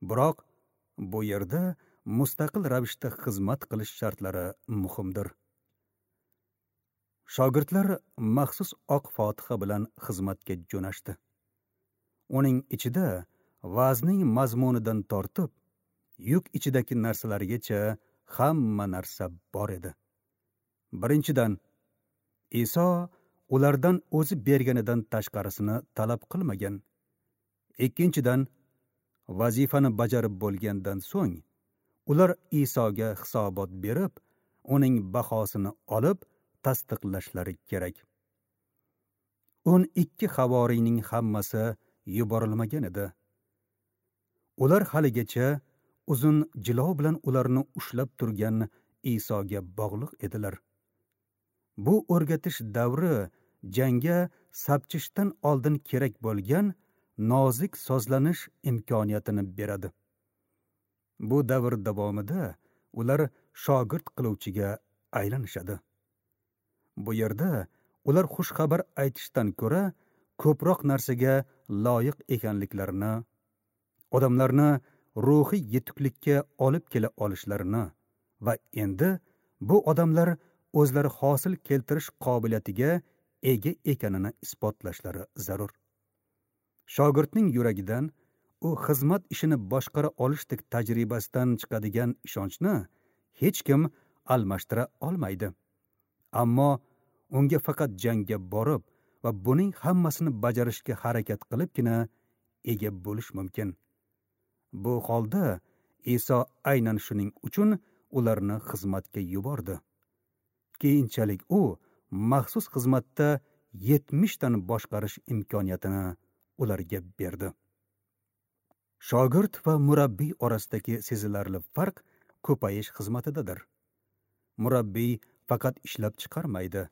Biroq bu yerda mustaqil ravishda xizmat qilish shartlari muhimdir. Shogirdlar maxsus oq fotiha bilan xizmatga jo'nashdi. Uning ichida vazning mazmunidan tortib, yuk ichidagi narsalargacha hamma narsa bor edi. Birinchidan, Iso ulardan o'zi berganidan tashqarisini talab qilmagan. Ikkinchidan, vazifani bajarib bo'lgandan so'ng ular Isoga hisobot berib, uning bahosini olib tasdiqlashlari kerak. o'n ikki havoriyning hammasi yuborilmagan edi. Ular haligacha uzun jilov bilan ularni ushlab turgan Isoga bog'liq edilar. Bu o'rgatish davri jangga sapchishdan oldin kerak bo'lgan nozik sozlanish imkoniyatini beradi. Bu davr davomida ular shogird qiluvchiga aylanishadi. Bu yerda ular xushxabar aytishdan ko'ra ko'proq narsaga loyiq ekanliklarini, odamlarni ruhiy yetuklikka olib kela olishlarini va endi bu odamlar o'zlari hosil keltirish qobiliyatiga ega ekanini isbotlashlari zarur. Shogirdning yuragidan u xizmat ishini boshqara olishdek tajribasidan chiqadigan ishonchni hech kim almashtira olmaydi. Ammo unga faqat jangga borib va buning hammasini bajarishga harakat qilibgina ega bo'lish mumkin. Bu holda Iso aynan shuning uchun ularni xizmatga yubordi. Keyinchalik u maxsus xizmatda yetmishdan boshqarish imkoniyatini ularga berdi. Shogird va murabbiy orasidagi sezilarli farq ko'payish xizmatidadir. Murabbiy faqat ishlab chiqarmaydi.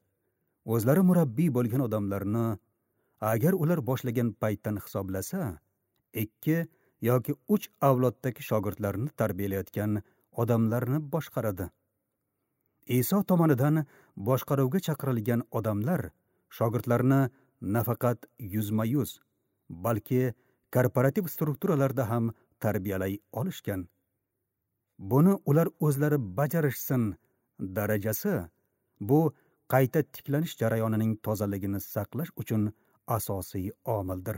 O'zlari murabbiy bo'lgan odamlarni agar ular boshlagan paytdan hisoblasa, ikki yoki uch avloddagi shogirdlarni tarbiyalayotgan odamlarni boshqaradi. Iso tomonidan boshqaruvga chaqirilgan odamlar shogirdlarni nafaqat yuzma-yuz, balki korporativ strukturalarda ham tarbiyalay olishgan. Buni ular o'zlari bajarishsin darajasi bu qayta tiklanish jarayonining tozaligini saqlash uchun asosiy omildir.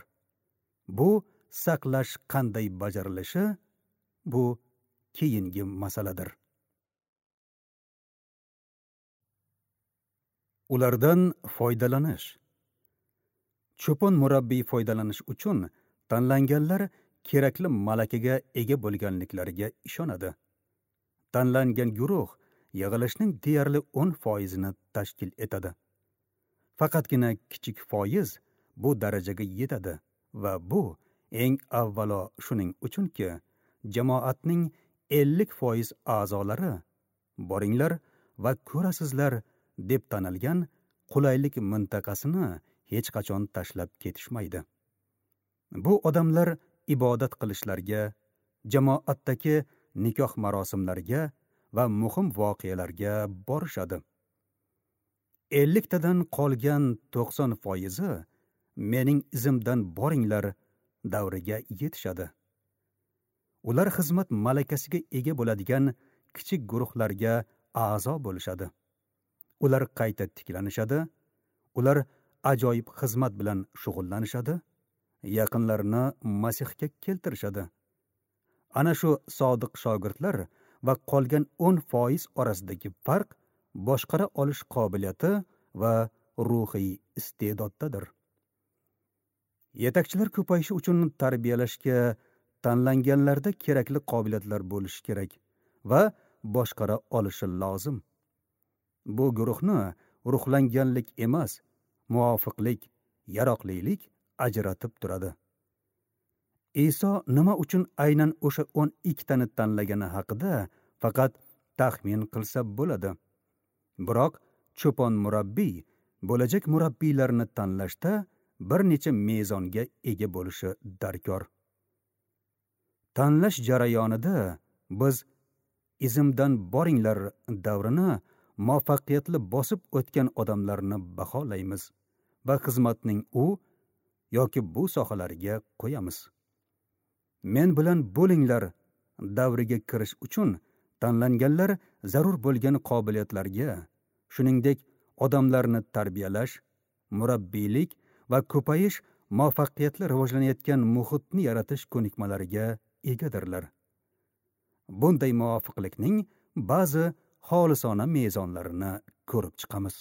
Bu saqlash qanday bajarilishi bu keyingi masaladir. Ulardan foydalanish. Cho'pon murabbiy foydalanish uchun tanlanganlar kerakli malakaga ega bo'lganliklariga ishonadi. Tanlangan guruh yig'ilishning deyarli o'n foizini tashkil etadi. Faqatgina kichik foiz bu darajaga yetadi va bu eng avvalo shuning uchunki, jamoatning ellik foiz a'zolari boringlar va ko'rasizlar deb tanilgan qulaylik mintaqasini hech qachon tashlab ketishmaydi. Bu odamlar ibodat qilishlarga, jamoatdagi nikoh marosimlariga va muhim voqealarga borishadi. elliktadan qolgan to'qson foizi mening izimdan boringlar davriga yetishadi. Ular xizmat malakasiga ega bo'ladigan kichik guruhlarga a'zo bo'lishadi. Ular qayta tiklanishadi, ular ajoyib xizmat bilan shug'ullanishadi, yaqinlarini Masihga keltirishadi. Ana shu sodiq shogirdlar va qolgan o'n foiz orasidagi farq boshqara olish qobiliyati va ruhiy iste'doddadir. Yetakchilar ko'payishi uchun tarbiyalashga tanlanganlarda kerakli qobiliyatlar bo'lishi kerak va boshqara olishi lozim. Bu guruhni ruhlanganlik emas, muvofiqlik, yaroqlilik ajratib turadi. Iso nima uchun aynan o'sha o'n ikkitani tanlagani haqida faqat taxmin qilsa bo'ladi. Biroq cho'pon murabbiy bo'lajak murabbiylarni tanlashda bir necha mezonga ega bo'lishi darkor. Tanlash jarayonida biz izimdan boringlar davrini muvaffaqiyatli bosib o'tgan odamlarni baholaymiz va xizmatning u yoki bu sohalariga qo'yamiz. Men bilan bo'linglar davriga kirish uchun tanlanganlar zarur bo'lgan qobiliyatlarga, shuningdek odamlarni tarbiyalash, murabbiylik va ko'payish muvaffaqiyatli rivojlanayotgan muhitni yaratish ko'nikmalariga egadirlar. Bunday muvofiqlikning ba'zi xolisona mezonlarini ko'rib chiqamiz.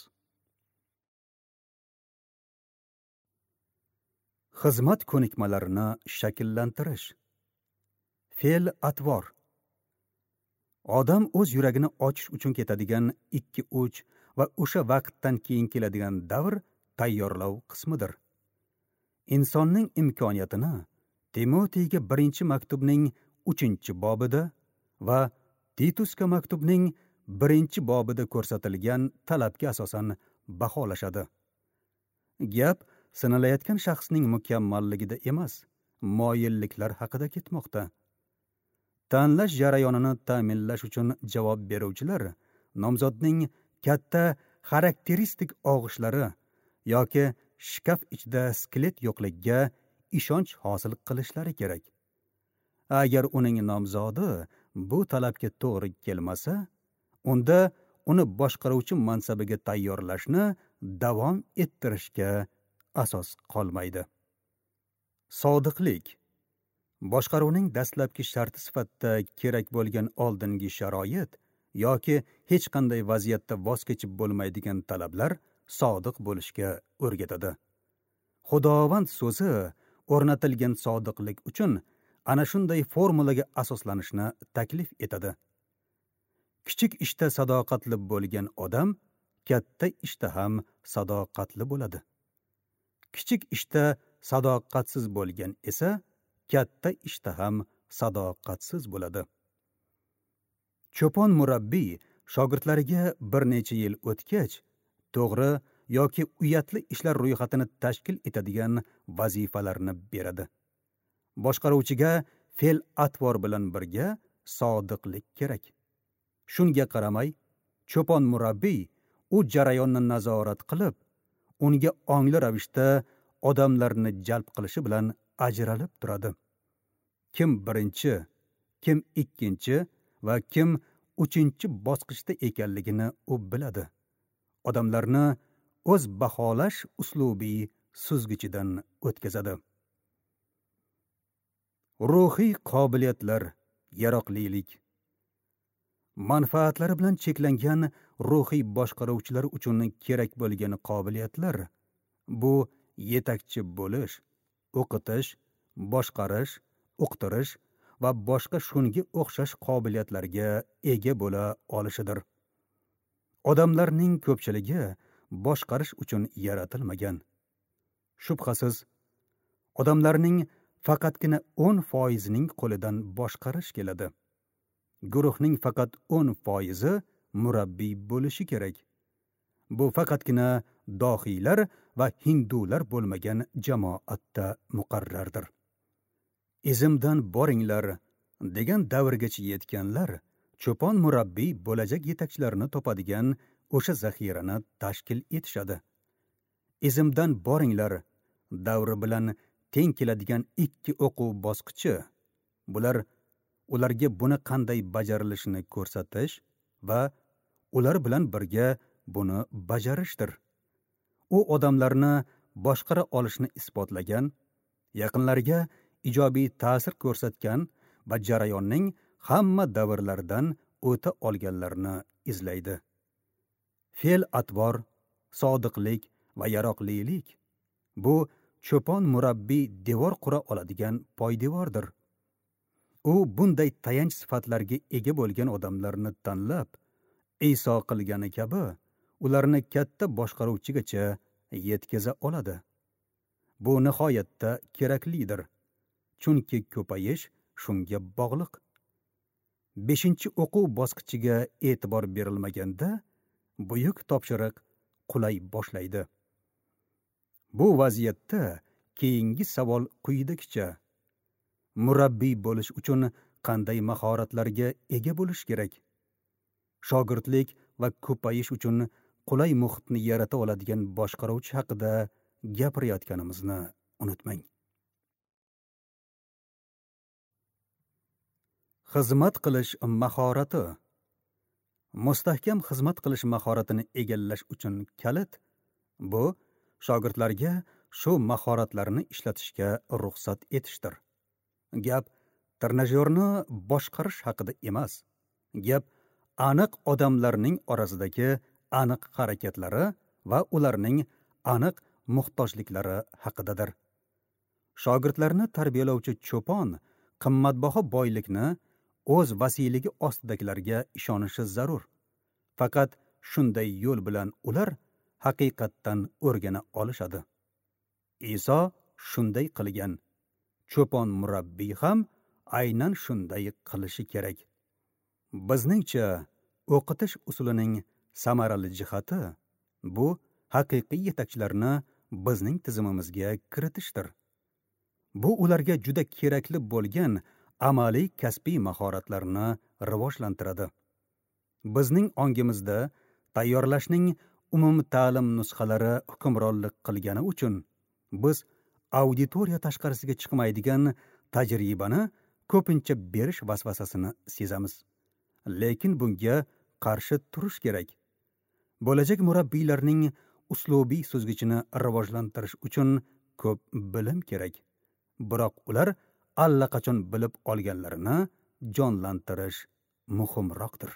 Xizmat ko'nikmalarini shakllantirish. Fe'l atvor. Odam o'z yuragini ochish uchun ketadigan ikki uch va o'sha vaqtdan keyin keladigan davr tayyorlov qismidir. Insonning imkoniyatini Timoteyga birinchi maktubning uchinchi bobida va Titusga maktubning birinchi bobida ko'rsatilgan talabga asosan baholashadi. Gap sinalayotgan shaxsning mukammalligida emas, moyilliklar haqida ketmoqda. Tanlash jarayonini ta'minlash uchun javob beruvchilar nomzodning katta xarakteristik og'ishlari yoki shkaf ichida skelet yo'qligiga ishonch hosil qilishlari kerak. Agar uning nomzodi bu talabga to'g'ri kelmasa, unda uni boshqaruvchi mansabiga tayyorlashni davom ettirishga asos qolmaydi. Sodiqlik. Boshqaruvning dastlabki sharti sifatida kerak bo'lgan oldingi sharoit yoki hech qanday vaziyatda voz kechib bo'lmaydigan talablar sodiq bo'lishga o'rgatadi. Xudovand so'zi o'rnatilgan sodiqlik uchun ana shunday formulaga asoslanishni taklif etadi. Kichik ishda sadoqatli bo'lgan odam katta ishda ham sadoqatli bo'ladi. Kichik ishda sadoqatsiz bo'lgan esa katta ishda ham sadoqatsiz bo'ladi. Cho'pon murabbiy shogirdlariga bir necha yil o'tgach, to'g'ri yoki uyatli ishlar ro'yxatini tashkil etadigan vazifalarni beradi. Boshqaruvchiga fe'l-atvor bilan birga sodiqlik kerak. Shunga qaramay, cho'pon murabbiy u jarayonni nazorat qilib, unga ongli ravishda odamlarni jalb qilishi bilan ajralib turadi. Kim birinchi, kim ikkinchi va kim uchinchi bosqichda ekanligini u biladi. Odamlarni o'z baholash uslubiy suzgichidan o'tkazadi. Ruhiy qobiliyatlar, yaroqlilik. Manfaatlari bilan cheklangan ruhiy boshqaruvchilar uchun kerak bo'lgan qobiliyatlar bu yetakchi bo'lish, o'qitish, boshqarish, uqtirish va boshqa shunga o'xshash qobiliyatlarga ega bo'la olishidir. Odamlarning ko'pchiligi boshqarish uchun yaratilmagan. Shubhasiz, odamlarning faqatgina o'n foizining qo'lidan boshqarish keladi. Guruhning faqat o'n foizi murabbiy bo'lishi kerak. Bu faqatgina dohiylar va hindular bo'lmagan jamoatda muqarrardir. Izimdan boringlar degan davrgacha yetganlar cho'pon murabbiy bo'lajak yetakchilarni topadigan o'sha zaxirani tashkil etishadi. Izimdan boringlar davri bilan teng keladigan ikki o'quv bosqichi bular ularga buni qanday bajarilishini ko'rsatish va ular bilan birga buni bajarishdir. U odamlarni boshqara olishni isbotlagan, yaqinlariga ijobiy ta'sir ko'rsatgan va jarayonning hamma davrlaridan o'ta olganlarni izlaydi. Fe'l-atvor, sodiqlik va yaroqlilik bu cho'pon murabbiy devor qura oladigan poydevordir. U bunday tayanch sifatlarga ega bo'lgan odamlarni tanlab, Iso qilgani kabi ularni katta boshqaruvchigacha yetkaza oladi. Bu nihoyatda keraklidir, chunki ko'payish shunga bog'liq. Beshinchi o'quv bosqichiga e'tibor berilmaganda buyuk topshiriq qulay boshlaydi. Bu vaziyatda keyingi savol quyidagicha: murabbiy bo'lish uchun qanday mahoratlarga ega bo'lish kerak? Shogirdlik va ko'payish uchun qulay muhitni yarata oladigan boshqaruvchi haqida gapirayotganimizni unutmang. Xizmat qilish mahorati. Mustahkam xizmat qilish mahoratini egallash uchun kalit bu shogirdlarga shu mahoratlarni ishlatishga ruxsat etishdir. Gap trenajyorni boshqarish haqida emas. Gap aniq odamlarning orasidagi aniq harakatlari va ularning aniq muhtojliklari haqidadir. Shogirdlarni tarbiyalovchi cho'pon qimmatbaho boylikni o'z vasiyligi ostidagilarga ishonishi zarur. Faqat shunday yo'l bilan ular haqiqatdan o'rgana olishadi. Iso shunday qilgan. Cho'pon murabbiy ham aynan shunday qilishi kerak. Bizningcha o'qitish usulining samarali jihati bu haqiqiy yetakchilarni bizning tizimimizga kiritishdir. Bu ularga juda kerakli bo'lgan amaliy kasbiy mahoratlarni rivojlantiradi. Bizning ongimizda tayyorlashning umumta'lim nusxalari hukmronlik qilgani uchun biz auditoriya tashqarisiga chiqmaydigan tajribani ko'pincha berish vasvasasini sezamiz. Lekin bunga qarshi turish kerak. Bo'lajak murabbiylarning uslubiy suzgichini rivojlantirish uchun ko'p bilim kerak. Biroq ular allaqachon bilib olganlarini jonlantirish muhimroqdir.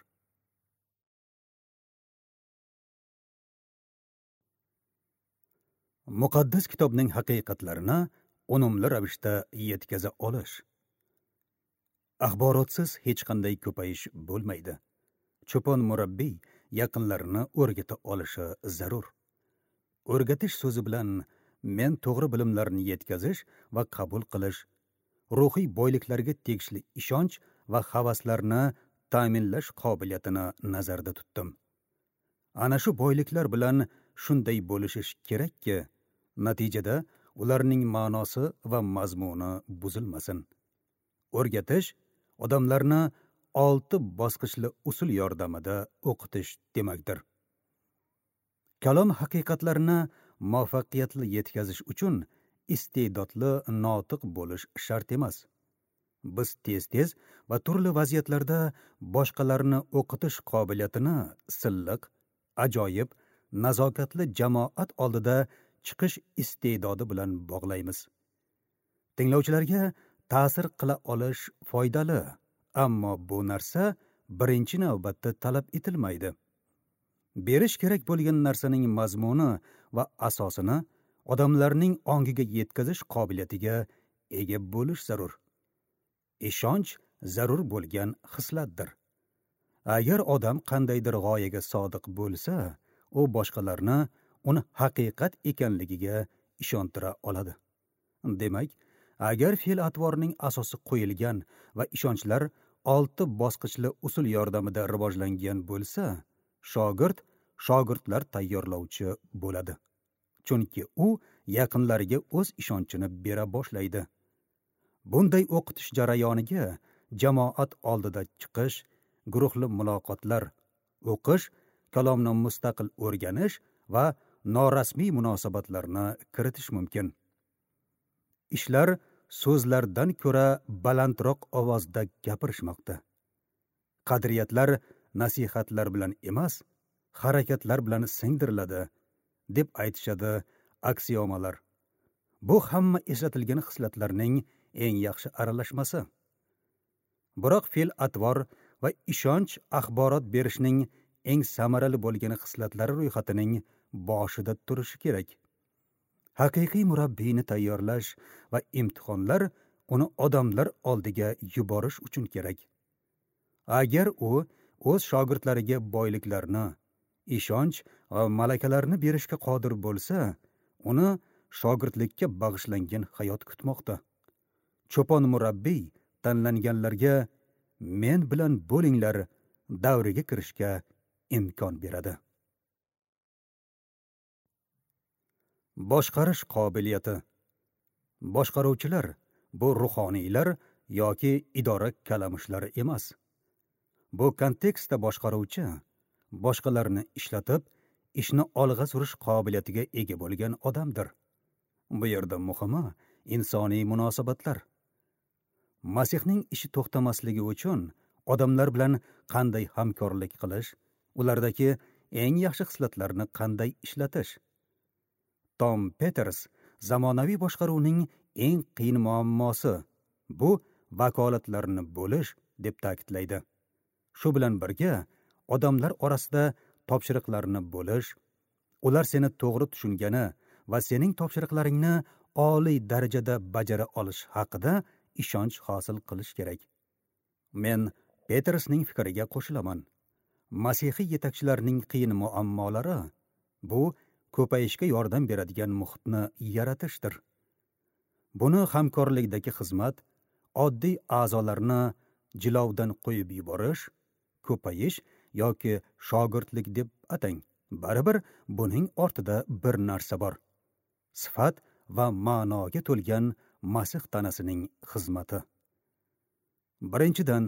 Muqaddas kitobning haqiqatlarini unumli ravishda yetkaza olish. Axborotsiz hech qanday ko'payish bo'lmaydi. Cho'pon murabbiy yaqinlarini o'rgata olishi zarur. O'rgatish so'zi bilan men to'g'ri bilimlarni yetkazish va qabul qilish, ruhiy boyliklarga tegishli ishonch va havaslarni ta'minlash qobiliyatini nazarda tutdim. Ana shu boyliklar bilan shunday bo'lishish kerakki, natijada ularning ma'nosi va mazmuni buzilmasin. O'rgatish odamlarni olti bosqichli usul yordamida o'qitish demakdir. Kalom haqiqatlarini muvaffaqiyatli yetkazish uchun iste'dodli notiq bo'lish shart emas. Biz tez-tez va turli vaziyatlarda boshqalarni o'qitish qobiliyatini silliq, ajoyib, nazokatli jamoat oldida chiqish iste'dodi bilan bog'laymiz. Tinglovchilarga ta'sir qila olish foydali, ammo bu narsa birinchi navbatda talab etilmaydi. Berish kerak bo'lgan narsaning mazmuni va asosini odamlarning ongiga yetkazish qobiliyatiga ega bo'lish zarur. Ishonch zarur bo'lgan xislatdir. Agar odam qandaydir g'oyaga sodiq bo'lsa, u boshqalarni uni haqiqat ekanligiga ishontira oladi. Demak, agar fe'l-atvorning asosi qo'yilgan va ishonchlar olti bosqichli usul yordamida rivojlangan bo'lsa, shogird shogirdlar tayyorlovchi bo'ladi. Chunki u yaqinlariga o'z ishonchini bera boshlaydi. Bunday o'qitish jarayoniga jamoat oldida chiqish, guruhli muloqotlar, o'qish, kalomni mustaqil o'rganish va norasmiy munosabatlarni kiritish mumkin. Ishlar so'zlardan ko'ra balandroq ovozda gapirishmoqda. Qadriyatlar nasihatlar bilan emas, harakatlar bilan singdiriladi, deb aytishadi aksiomalar. Bu hamma eslatilgan xislatlarning eng yaxshi aralashmasi. Biroq fe'l-atvor va ishonch axborot berishning eng samarali bo'lgan xislatlari ro'yxatining boshida turishi kerak. Haqiqiy murabbiyni tayyorlash va imtihonlar uni odamlar oldiga yuborish uchun kerak. Agar u o'z shogirdlariga boyliklarni, ishonch va malakalarni berishga qodir bo'lsa, uni shogirdlikka bag'ishlangan hayot kutmoqda. Cho'pon murabbiy tanlanganlarga men bilan bo'linglar davriga kirishga imkon beradi. Boshqarish qobiliyati. Boshqaruvchilar bu ruhoniylar yoki idora kalamushlari emas. Bu kontekstda boshqaruvchi boshqalarni ishlatib, ishni olg'a surish qobiliyatiga ega bo'lgan odamdir. Bu yerda muhimi insoniy munosabatlar. Masihning ishi to'xtamasligi uchun odamlar bilan qanday hamkorlik qilish, ulardagi eng yaxshi xislatlarni qanday ishlatish. Tom Peters zamonaviy boshqaruvning eng qiyin muammosi bu vakolatlarni bo'lish deb ta'kidlaydi. Shu bilan birga odamlar orasida topshiriqlarni bo'lish, ular seni to'g'ri tushungani va sening topshiriqlaringni oliy darajada bajara olish haqida ishonch hosil qilish kerak. Men Petersning fikriga qo'shilaman. Masihiy yetakchilarning qiyin muammolari bu ko'payishga yordam beradigan muhitni yaratishdir. Buni hamkorlikdagi xizmat, oddiy a'zolarni jilovdan qo'yib yuborish, ko'payish yoki shogirdlik deb atang. Baribir buning ortida bir narsa bor. Sifat va ma'noga to'lgan Masih tanasining xizmati. Birinchidan,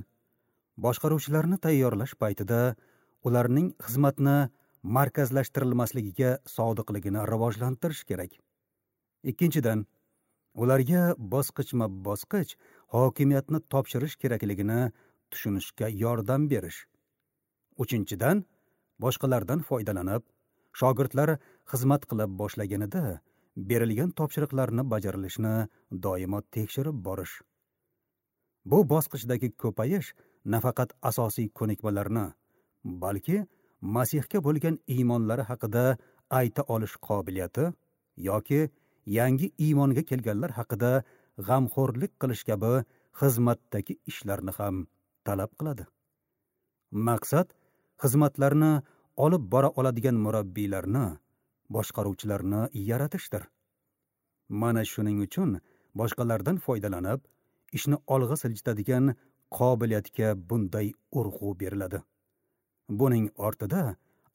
boshqaruvchilarni tayyorlash paytida ularning xizmatni markazlashtirilmasligiga sodiqligini rivojlantirish kerak. Ikkinchidan, ularga bosqichma-bosqich hokimiyatni topshirish kerakligini tushunishga yordam berish. Uchinchidan, boshqalardan foydalanib, shogirdlar xizmat qila boshlaganida berilgan topshiriqlarni bajarilishini doimo tekshirib borish. Bu bosqichdagi ko'payish nafaqat asosiy ko'nikmalarni, balki Masihga bo'lgan iymonlari haqida ayta olish qobiliyati yoki yangi iymonga kelganlar haqida g'amxo'rlik qilish kabi xizmatdagi ishlarni ham talab qiladi. Maqsad xizmatlarni olib bora oladigan murabbiylarni, boshqaruvchilarni yaratishdir. Mana shuning uchun boshqalardan foydalanib, ishni olg'a siljitadigan qobiliyatga bunday urg'u beriladi. Buning ortida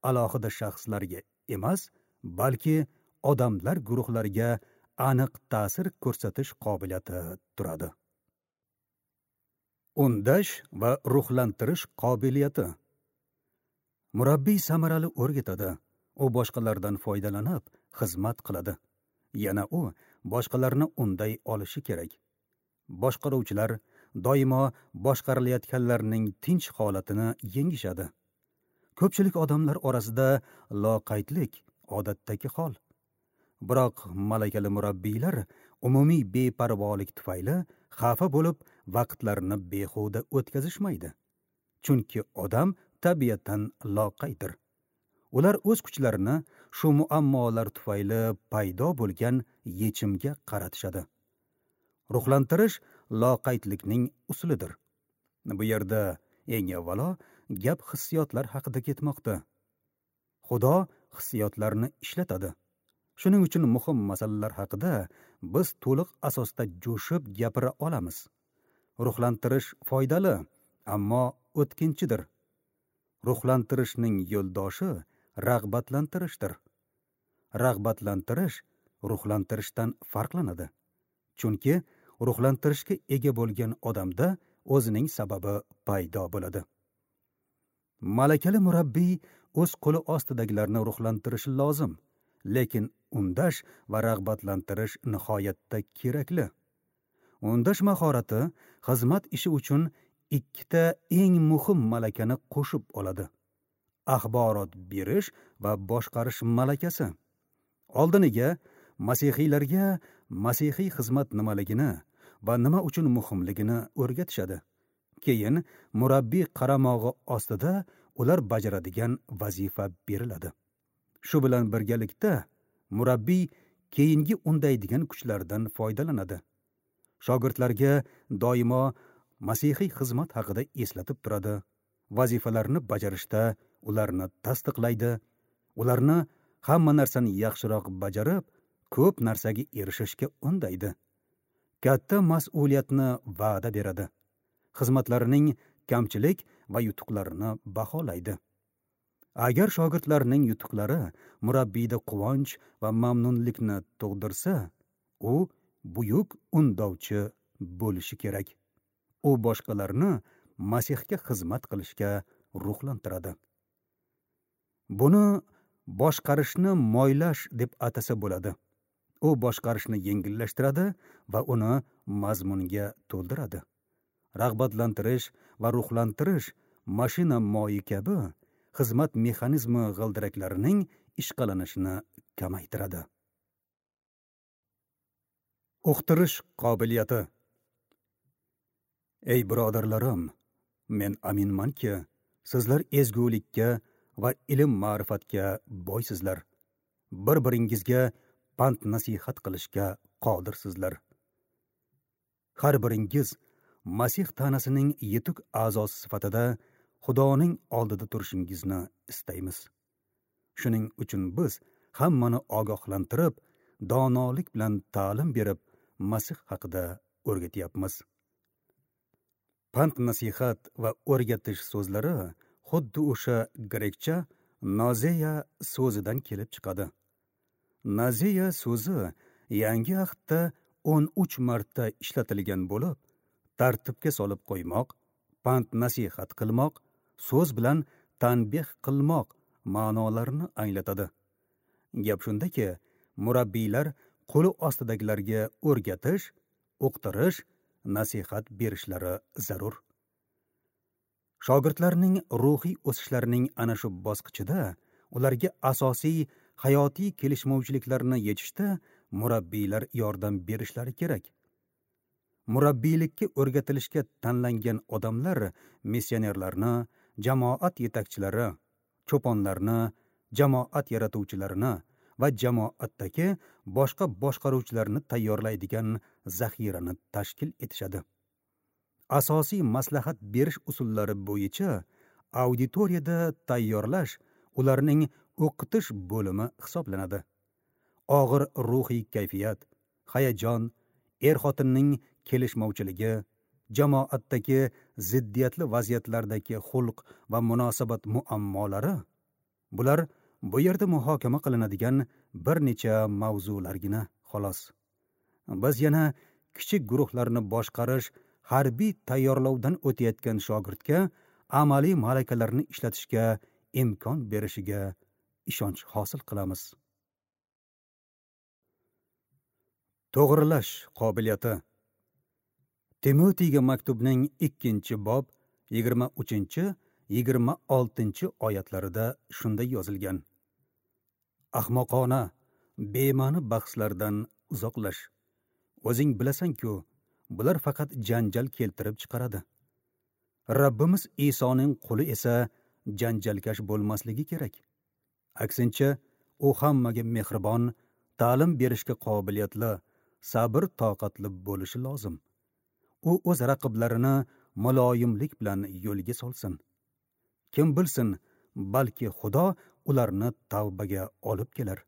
alohida shaxslarga emas, balki odamlar guruhlariga aniq ta'sir ko'rsatish qobiliyati turadi. Undash va ruhlantirish qobiliyati. Murabbiy samarali o'rgatadi. U boshqalardan foydalanib xizmat qiladi. Yana u boshqalarni unday olishi kerak. Boshqaruvchilar doimo boshqarilayotganlarning tinch holatini yengishadi. Ko'pchilik odamlar orasida loqaydlik odatdagi hol. Biroq malakali murabbiylar umumiy beparvolik tufayli xafa bo'lib, vaqtlarini behuda o'tkazishmaydi. Chunki odam tabiatan loqayddir. Ular o'z kuchlarini shu muammolar tufayli paydo bo'lgan yechimga qaratishadi. Ruhlantirish loqaydlikning usulidir. Bu yerda eng avvalo gap hissiyotlar haqida ketmoqda. Xudo hissiyotlarni ishlatadi. Shuning uchun muhim masalalar haqida biz to'liq asosda jo'shib gapira olamiz. Ruhlantirish foydali, ammo o'tkinchidir. Ruhlantirishning yo'ldoshi rag'batlantirishdir. Rag'batlantirish ruhlantirishdan farqlanadi. Chunki ruhlantirishga ega bo'lgan odamda o'zining sababi paydo bo'ladi. Malakali murabbiy o'z qo'li ostidagilarni ruhlantirishi lozim, lekin undash va rag'batlantirish nihoyatda kerakli. Undash mahorati xizmat ishi uchun ikkita eng muhim malakani qo'shib oladi: axborot berish va boshqarish malakasi. Oldiniga masihiylarga masihiy xizmat nimaligini va nima uchun muhimligini o'rgatishadi. Keyin murabbiy qaramog'i ostida ular bajaradigan vazifa beriladi. Shu bilan birgalikda murabbiy keyingi undaydigan kuchlardan foydalanadi. Shogirdlarga doimo masihiy xizmat haqida eslatib turadi. Vazifalarni bajarishda ularni tasdiqlaydi. Ularni hamma narsani yaxshiroq bajarib, ko'p narsaga erishishga undaydi. Katta mas'uliyatni va'da beradi. Xizmatlarining kamchilik va yutuqlarini baholaydi. Agar shogirdlarning yutuqlari murabbiyda quvonch va mamnunlikni tug'dirsa, u buyuk undovchi bo'lishi kerak. U boshqalarni Masihga xizmat qilishga ruhlantiradi. Buni boshqarishni moylash deb atasa bo'ladi. U boshqarishni yengillashtiradi va uni mazmunga to'ldiradi. Rag'batlantirish va ruhlantirish mashina moyi kabi xizmat mexanizmi g'ildiraklarining ishqalanishini kamaytiradi. Uqtirish qobiliyati. Ey birodarlarim, men aminmanki, sizlar ezgulikka va ilm ma'rifatga boysizlar. Bir-biringizga pand nasihat qilishga qodirsizlar. Har biringiz Masih tanasining yetuk a'zosi sifatida Xudoning oldida turishingizni istaymiz. Shuning uchun biz hammani ogohlantirib, donolik bilan ta'lim berib, Masih haqida o'rgatyapmiz. Pand nasihat va o'rgatish so'zlari xuddi o'sha grekcha nazeya so'zidan kelib chiqadi. Nazeya so'zi Yangi Ahdda o'n uch marta ishlatilgan bo'lib, tartibga solib qo'ymoq, pand nasihat qilmoq, so'z bilan tanbeh qilmoq ma'nolarini anglatadi. Gap shundaki, murabbiylar qo'li ostidagilarga o'rgatish, o'qitirish, nasihat berishlari zarur. Shogirdlarning ruhiy o'sishlarining ana shu bosqichida ularga asosiy hayotiy kelishmovchiliklarni yechishda murabbiylar yordam berishlari kerak. Murabbiylikka o'rgatilishga tanlangan odamlar missionerlarni, jamoat yetakchilari, cho'ponlarni, jamoat yaratuvchilarini va jamoatdagi boshqa boshqaruvchilarni tayyorlaydigan zaxirani tashkil etishadi. Asosiy maslahat berish usullari bo'yicha auditoriyada tayyorlash ularning o'qitish bo'limi hisoblanadi. Og'ir ruhiy kayfiyat, hayajon, er-xotinning kelishmovchiligi, jamoatdagi ziddiyatli vaziyatlardagi xulq va munosabat muammolari bular bu yerda muhokama qilinadigan bir necha mavzulargina xolos. Biz yana kichik guruhlarni boshqarish, harbiy tayyorlovdan o'tayotgan shogirdga amaliy malakalarni ishlatishga imkon berishiga ishonch hosil qilamiz. To'g'rilash qobiliyati. Timotiyga maktubning ikkinchi bob yigirma uchinchi yigirma oltinchi oyatlarida shunday yozilgan: Ahmoqona, bema'ni bahslardan uzoqlash. O'zing bilasan-ku, bular faqat janjal keltirib chiqaradi. Rabbimiz Isoning quli esa janjalkash bo'lmasligi kerak. Aksincha, u hammaga mehribon, ta'lim berishga qobiliyatli, sabr toqatli bo'lishi lozim. U o'z raqiblarini muloyimlik bilan yo'lga solsin. Kim bilsin, balki Xudo ularni tavbaga olib kelar.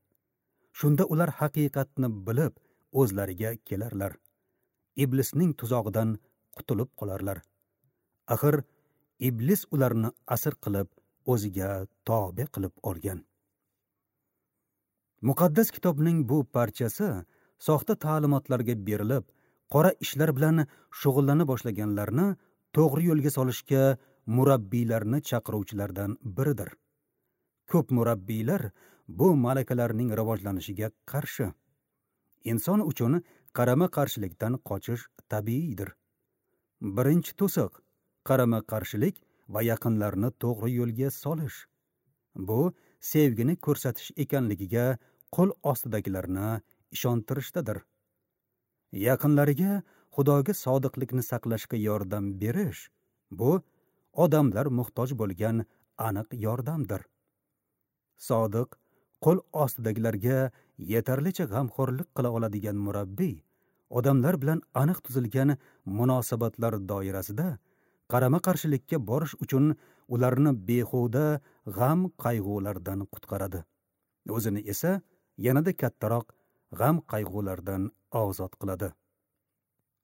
Shunda ular haqiqatni bilib, o'zlariga kelarlar. Iblisning tuzog'idan qutulib qolarlar. Axir iblis ularni asir qilib, o'ziga tobe qilib olgan. Muqaddas kitobning bu parchasi soxta ta'limotlarga berilib, qora ishlar bilan shug'ullana boshlaganlarni to'g'ri yo'lga solishga murabbiylarni chaqiruvchilardan biridir. Ko'p murabbiylar bu malakalarning rivojlanishiga qarshi. Inson uchun qarama-qarshilikdan qochish tabiiydir. Birinchi to'siq qarama-qarshilik va yaqinlarni to'g'ri yo'lga solish. Bu sevgini ko'rsatish ekanligiga qo'l ostidagilarni ishontirishdadir. Yaqinlariga Xudoga sodiqlikni saqlashga yordam berish bu odamlar muhtoj bo'lgan aniq yordamdir. Sodiq, qo'l ostidagilarga yetarlicha g'amxo'rlik qila oladigan murabbiy odamlar bilan aniq tuzilgan munosabatlar doirasida qarama-qarshilikka borish uchun ularni behuda g'am qayg'ulardan qutqaradi. O'zini esa yanada kattaroq g'am qayg'ulardan ozod qiladi.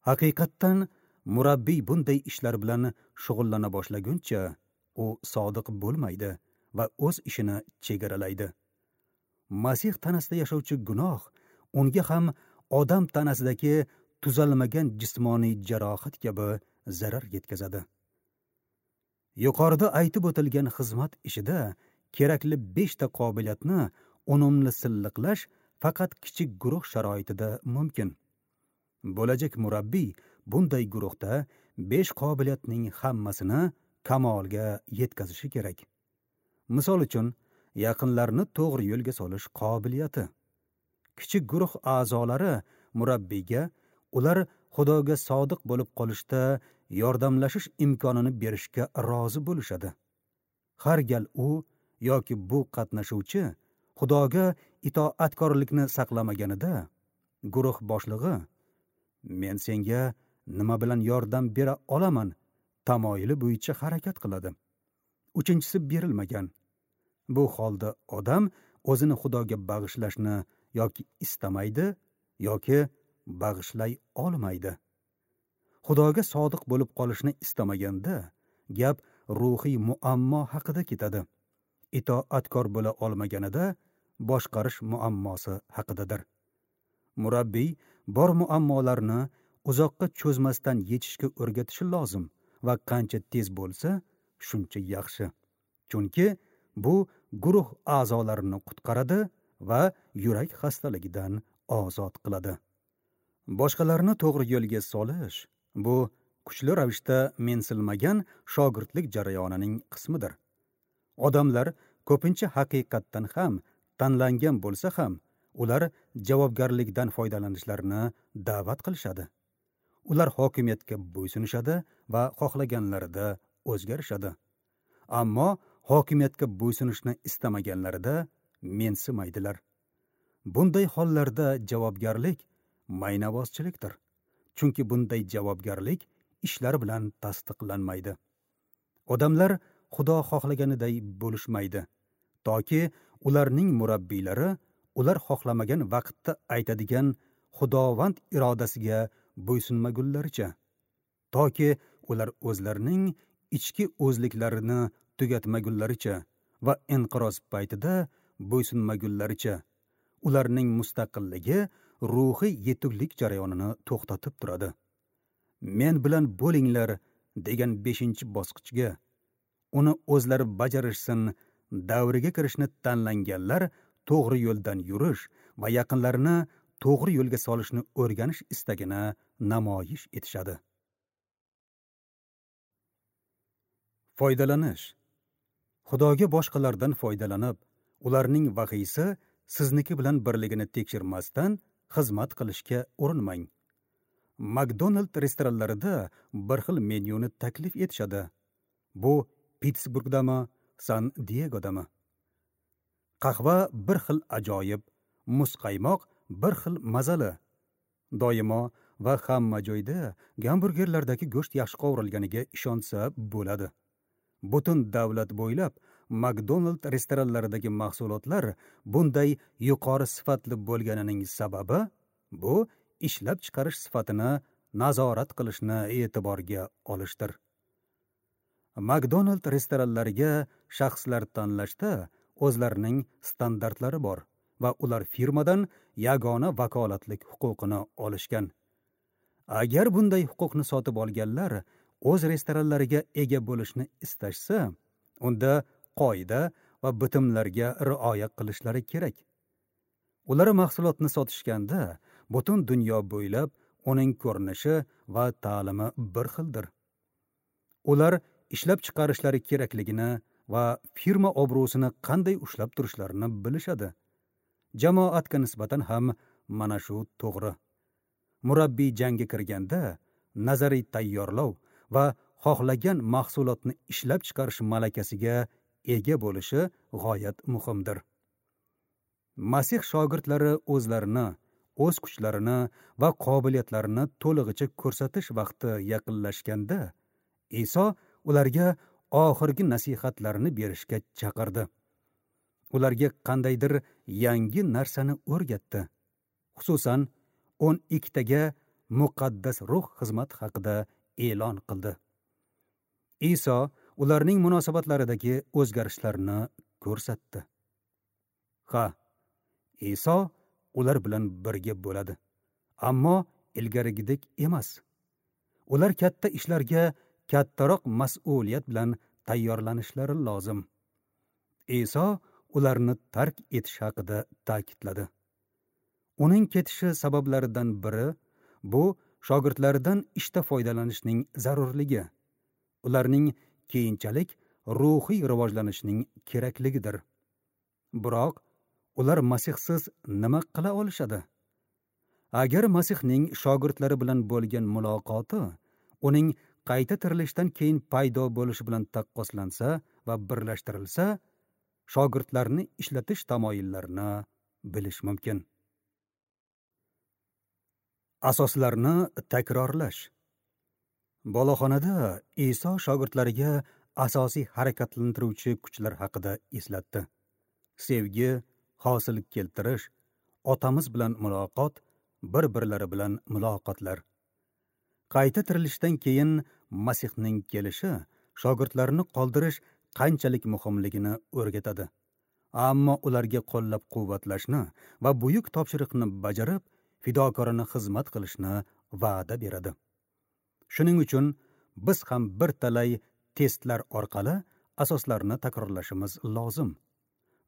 Haqiqatdan murabbiy bunday ishlar bilan shug'ullana boshlaguncha u sodiq bo'lmaydi va o'z ishini chegaralaydi. Masih tanasida yashovchi gunoh unga ham odam tanasidagi tuzalmagan jismoniy jarohat kabi zarar yetkazadi. Yuqorida aytib o'tilgan xizmat ishida kerakli beshta qobiliyatni unumli silliqlash faqat kichik guruh sharoitida mumkin. Bo'lajak murabbiy bunday guruhda besh qobiliyatning hammasini kamolga yetkazishi kerak. Misol uchun, yaqinlarni to'g'ri yo'lga solish qobiliyati. Kichik guruh a'zolari murabbiyga ular Xudoga sodiq bo'lib qolishda yordamlashish imkonini berishga rozi bo'lishadi. Har gal u yoki bu qatnashuvchi Xudoga itoatkorlikni saqlamaganida guruh boshlig'i "Men senga nima bilan yordam bera olaman?" tamoyili bo'yicha harakat qiladi. Uchinchisi berilmagan. Bu holda odam o'zini Xudoga bag'ishlashni yoki istamaydi, yoki bag'ishlay olmaydi. Xudoga sodiq bo'lib qolishni istamaganda gap ruhiy muammo haqida ketadi. Itoatkor bo'la olmaganida boshqarish muammosi haqidadir. Murabbiy bor muammolarni uzoqqa cho'zmasdan yechishga o'rgatishi lozim va qancha tez bo'lsa, shuncha yaxshi. Chunki bu guruh a'zolarini qutqaradi va yurak xastaligidan ozod qiladi. Boshqalarni to'g'ri yo'lga solish bu kuchli ravishda mensilmagan shogirdlik jarayonining qismidir. Odamlar ko'pincha haqiqatdan ham tanlangan bo'lsa ham, ular javobgarlikdan foydalanishlarini da'vat qilishadi. Ular hokimiyatga bo'ysunishadi va xohlaganlarida o'zgarishadi. Ammo hokimiyatga bo'ysunishni istamaganlarida mensimaydilar. Bunday hollarda javobgarlik maynavozchilikdir, chunki bunday javobgarlik ishlar bilan tasdiqlanmaydi. Odamlar Xudo xohlaganiday bo'lishmaydi, toki ularning murabbiylari ular xohlamagan vaqtda aytadigan Xudovand irodasiga bo'ysunmagunlaricha, toki ular o'zlarining ichki o'zliklarini tugatmagunlaricha va inqiroz paytida bo'ysunmagunlaricha ularning mustaqilligi ruhiy yetuklik jarayonini to'xtatib turadi. Men bilan bo'linglar degan beshinchi bosqichga, uni o'zlari bajarishsin davriga kirishni tanlanganlar to'g'ri yo'ldan yurish va yaqinlarini to'g'ri yo'lga solishni o'rganish istagini namoyish etishadi. Foydalanish. Xudoga boshqalardan foydalanib, ularning vahiysi sizniki bilan birligini tekshirmasdan xizmat qilishga urinmang. McDonald restoranlarida bir xil menyuni taklif etishadi. Bu Pittsburgdami, San Diegodami? Qahva bir xil ajoyib, muzqaymoq bir xil mazali. Doimo va hamma joyda gamburgerlardagi go'sht yaxshi qovurilganiga ishonsa bo'ladi. Butun davlat bo'ylab McDonald restoranlaridagi mahsulotlar bunday yuqori sifatli bo'lganining sababi bu ishlab chiqarish sifatini nazorat qilishni e'tiborga olishdir. McDonald restoranlariga shaxslar tanlashda o'zlarining standartlari bor va ular firmadan yagona vakolatlik huquqini olishgan. Agar bunday huquqni sotib olganlar o'z restoranlariga ega bo'lishni istashsa, unda qoida va bitimlarga rioya qilishlari kerak. Ular mahsulotni sotishganda butun dunyo bo'ylab uning ko'rinishi va ta'limi bir xildir. Ular ishlab chiqarishlari kerakligini va firma obro'sini qanday ushlab turishlarini bilishadi. Jamoatga nisbatan ham mana shu to'g'ri. Murabbiy jangga kirganda nazariy tayyorlov va xohlagan mahsulotni ishlab chiqarish malakasiga ega bo'lishi g'oyat muhimdir. Masih shogirdlari o'zlarini, o'z kuchlarini va qobiliyatlarini to'lig'icha ko'rsatish vaqti yaqinlashganda, Iso ularga oxirgi nasihatlarini berishga chaqirdi. Ularga qandaydir yangi narsani o'rgatdi. Xususan, o'n ikkitaga muqaddas ruh xizmat haqida e'lon qildi. Iso ularning munosabatlaridagi o'zgarishlarni ko'rsatdi. Ha, Iso ular bilan birga bo'ladi, ammo ilgarigidek emas. Ular katta ishlarga kattaroq mas'uliyat bilan tayyorlanishlari lozim. Iso ularni tark etish haqida ta'kidladi. Uning ketishi sabablaridan biri bu shogirdlaridan ishda foydalanishning zarurligi, ularning keyinchalik ruhiy rivojlanishining kerakligidir. Biroq ular Masihsiz nima qila olishadi? Agar Masihning shogirdlari bilan bo'lgan muloqoti uning qayta tirilishdan keyin paydo bo'lishi bilan taqqoslansa va birlashtirilsa, shogirdlarni ishlatish tamoyillarini bilish mumkin. Asoslarni takrorlash. Boloxonada Iso shogirdlariga asosiy harakatlantiruvchi kuchlar haqida eslatdi. Sevgi, hosil keltirish, otamiz bilan muloqot, bir-birlari bilan muloqotlar. Qayta tirilishdan keyin Masihning kelishi shogirdlarni qoldirish qanchalik muhimligini o'rgatadi. Ammo ularga qo'llab-quvvatlashni va buyuk topshiriqni bajarib, fidokorona xizmat qilishni va'da beradi. Shuning uchun biz ham bir talay testlar orqali asoslarni takrorlashimiz lozim.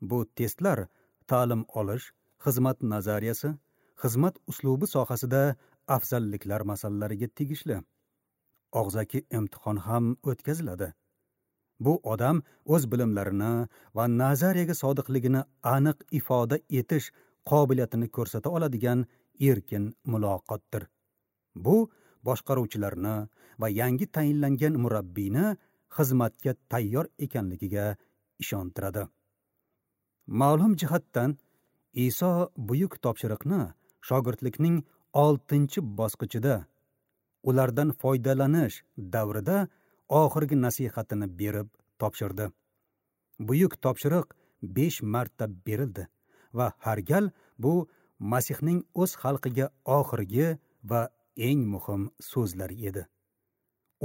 Bu testlar ta'lim olish, xizmat nazariyasi, xizmat uslubi sohasida afzalliklar masalalariga tegishli. Og'zaki imtihon ham o'tkaziladi. Bu odam o'z bilimlarini va nazariyaga sodiqligini aniq ifoda etish qobiliyatini ko'rsata oladigan erkin muloqotdir. Bu boshqaruvchilarni va yangi tayinlangan murabbiyni xizmatga tayyor ekanligiga ishontiradi. Ma'lum jihatdan Iso buyuk topshiriqni shogirdlikning oltinchi bosqichida, ulardan foydalanish davrida oxirgi nasihatini berib topshirdi. Buyuk topshiriq besh marta berildi va har gal bu Masihning o'z xalqiga oxirgi va eng muhim so'zlari edi.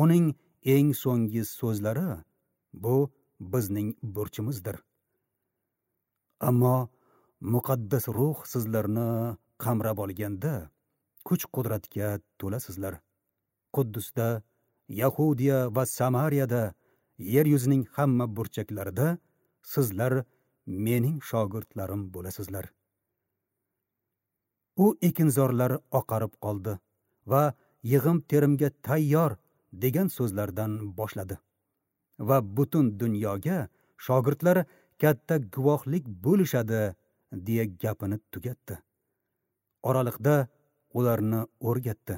Uning eng so'nggi so'zlari bu bizning burchimizdir. Ammo muqaddas ruh sizlarni qamrab olganda kuch-qudratga to'lasizlar. Quddusda, Yahudiya va Samariyada, yer yuzining hamma burchaklarida sizlar mening shogirdlarim bo'lasizlar. U ekinzorlar oqarib qoldi va yig'im terimga tayyor degan so'zlardan boshladi. Va butun dunyoga shogirdlar katta guvohlik bo'lishadi deya gapini tugatdi. Oraliqda ularni o'rgatdi.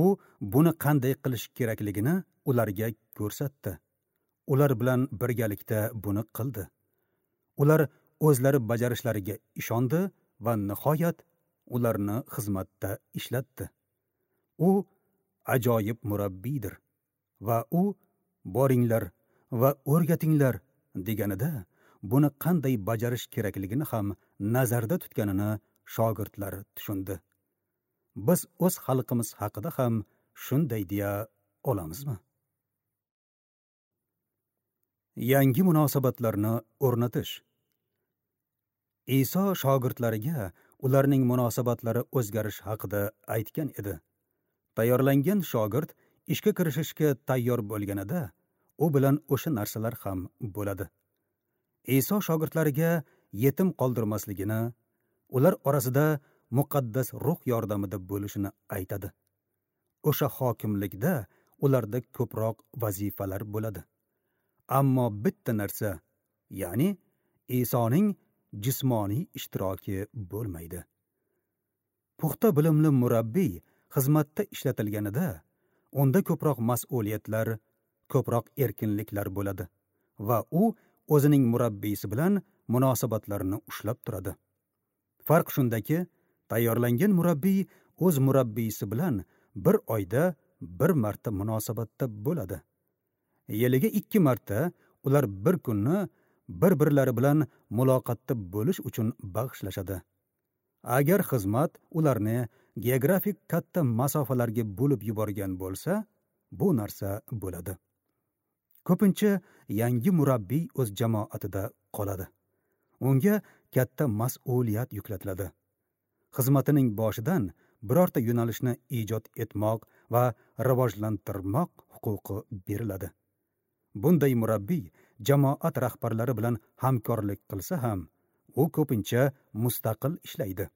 U buni qanday qilish kerakligini ularga ko'rsatdi. Ular bilan birgalikda buni qildi. Ular o'zlari bajarishlariga ishondi va nihoyat ularni xizmatda ishlatdi. U ajoyib murabbiydir va u boringlar va o'rgatinglar deganida buni qanday bajarish kerakligini ham nazarda tutganini shogirdlar tushundi. Biz o'z xalqimiz haqida ham shunday deya olamizmi? Yangi munosabatlarni o'rnatish. Iso shogirdlariga ularning munosabatlari o'zgarish haqida aytgan edi. Tayyorlangan shogird ishga kirishishga tayyor bo'lganida u bilan o'sha narsalar ham bo'ladi. Iso shogirdlariga yetim qoldirmasligini, ular orasida muqaddas ruh yordamida bo'lishini aytadi. O'sha hokimlikda ularda ko'proq vazifalar bo'ladi. Ammo bitta narsa, ya'ni Isoning jismoniy ishtiroki bo'lmaydi. Puxta bilimli murabbiy xizmatda ishlatilganida unda ko'proq mas'uliyatlar, ko'proq erkinliklar bo'ladi va u o'zining murabbiysi bilan munosabatlarini ushlab turadi. Farq shundaki, tayyorlangan murabbiy o'z murabbiysi bilan bir oyda bir marta munosabatda bo'ladi. Yiliga ikki marta ular bir kunni bir-birlari bilan muloqotda bo'lish uchun bag'ishlashadi. Agar xizmat ularni geografik katta masofalarga bo'lib yuborgan bo'lsa, bu narsa bo'ladi. Ko'pincha yangi murabbiy o'z jamoatida qoladi. Unga katta mas'uliyat yuklatiladi. Xizmatining boshidan birorta yo'nalishni ijod etmoq va rivojlantirmoq huquqi beriladi. Bunday murabbiy jamoat rahbarlari bilan hamkorlik qilsa ham, u ko'pincha mustaqil ishlaydi.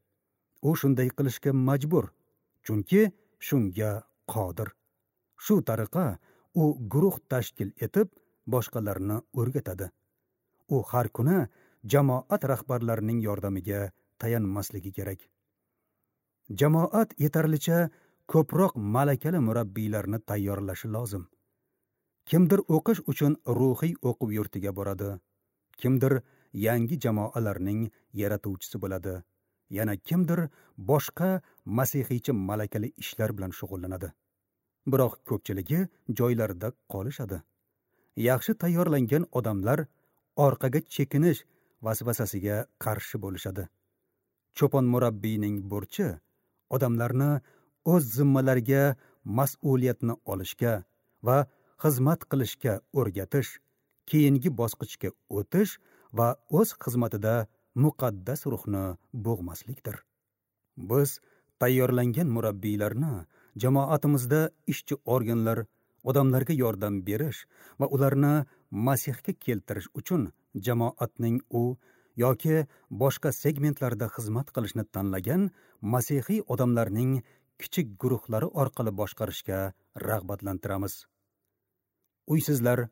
U shunday qilishga majbur, chunki shunga qodir. Shu tariqa u guruh tashkil etib, boshqalarni o'rgatadi. U har kuni jamoat rahbarlarining yordamiga tayanmasligi kerak. Jamoat yetarlicha ko'proq malakali murabbiylarni tayyorlashi lozim. Kimdir o'qish uchun ruhiy o'quv yurtiga boradi, kimdir yangi jamoalarning yaratuvchisi bo'ladi, yana kimdir boshqa masihiycha malakali ishlar bilan shug'ullanadi. Biroq ko'pchiligi joylarida qolishadi. Yaxshi tayyorlangan odamlar orqaga chekinish vasvasasiga qarshi bo'lishadi. Cho'pon murabbiyning burchi odamlarni o'z zimmalariga mas'uliyatni olishga va xizmat qilishga o'rgatish, keyingi bosqichga o'tish va o'z xizmatida muqaddas ruhni bo'g'maslikdir. Biz tayyorlangan murabbiylarni jamoatimizda ishchi organlar, odamlarga yordam berish va ularni Masihga keltirish uchun jamoatning u yoki boshqa segmentlarda xizmat qilishni tanlagan masihiy odamlarning kichik guruhlari orqali boshqarishga rag'batlantiramiz. Uysizlar,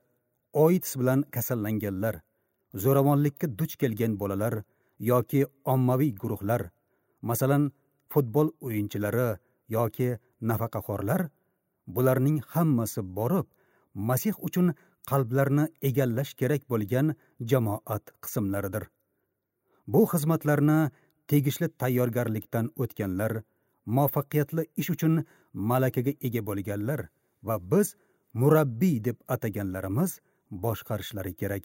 AIDS bilan kasallanganlar, zo'ravonlikka duch kelgan bolalar yoki ommaviy guruhlar, masalan, futbol o'yinchilari yoki nafaqaxo'rlar, bularning hammasi borib, Masih uchun qalblarni egallash kerak bo'lgan jamoat qismlaridir. Bu xizmatlarni tegishli tayyorgarlikdan o'tganlar, muvaffaqiyatli ish uchun malakaga ega bo'lganlar va biz murabbiy deb ataganlarimiz boshqarishlari kerak.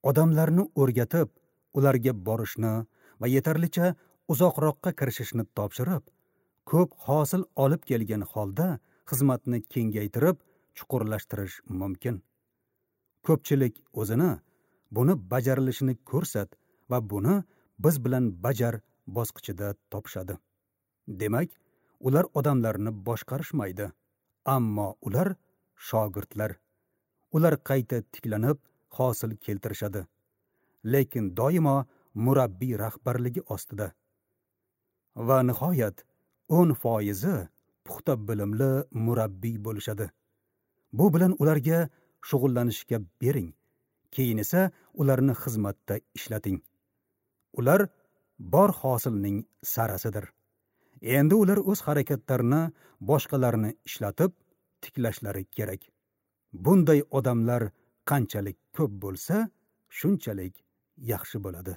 Odamlarni o'rgatib, ularga borishni va yetarlicha uzoqroqqa kirishishni topshirib, ko'p hosil olib kelgan holda xizmatni kengaytirib, chuqurlashtirish mumkin. Ko'pchilik o'zini buni bajarilishini ko'rsat va buni biz bilan bajar bosqichida topishadi. Demak, ular odamlarni boshqarishmaydi, ammo ular shogirdlar. Ular qayta tiklanib hosil keltirishadi, lekin doimo murabbiy rahbarligi ostida. Va nihoyat o'n foizi puxta bilimli murabbiy bo'lishadi. Bu bilan ularga shug'ullanishga bering, keyin esa ularni xizmatda ishlating. Ular bor hosilning sarasidir. Endi ular o'z harakatlarini boshqalarni ishlatib tiklashlari kerak. Bunday odamlar qanchalik ko'p bo'lsa, shunchalik yaxshi bo'ladi.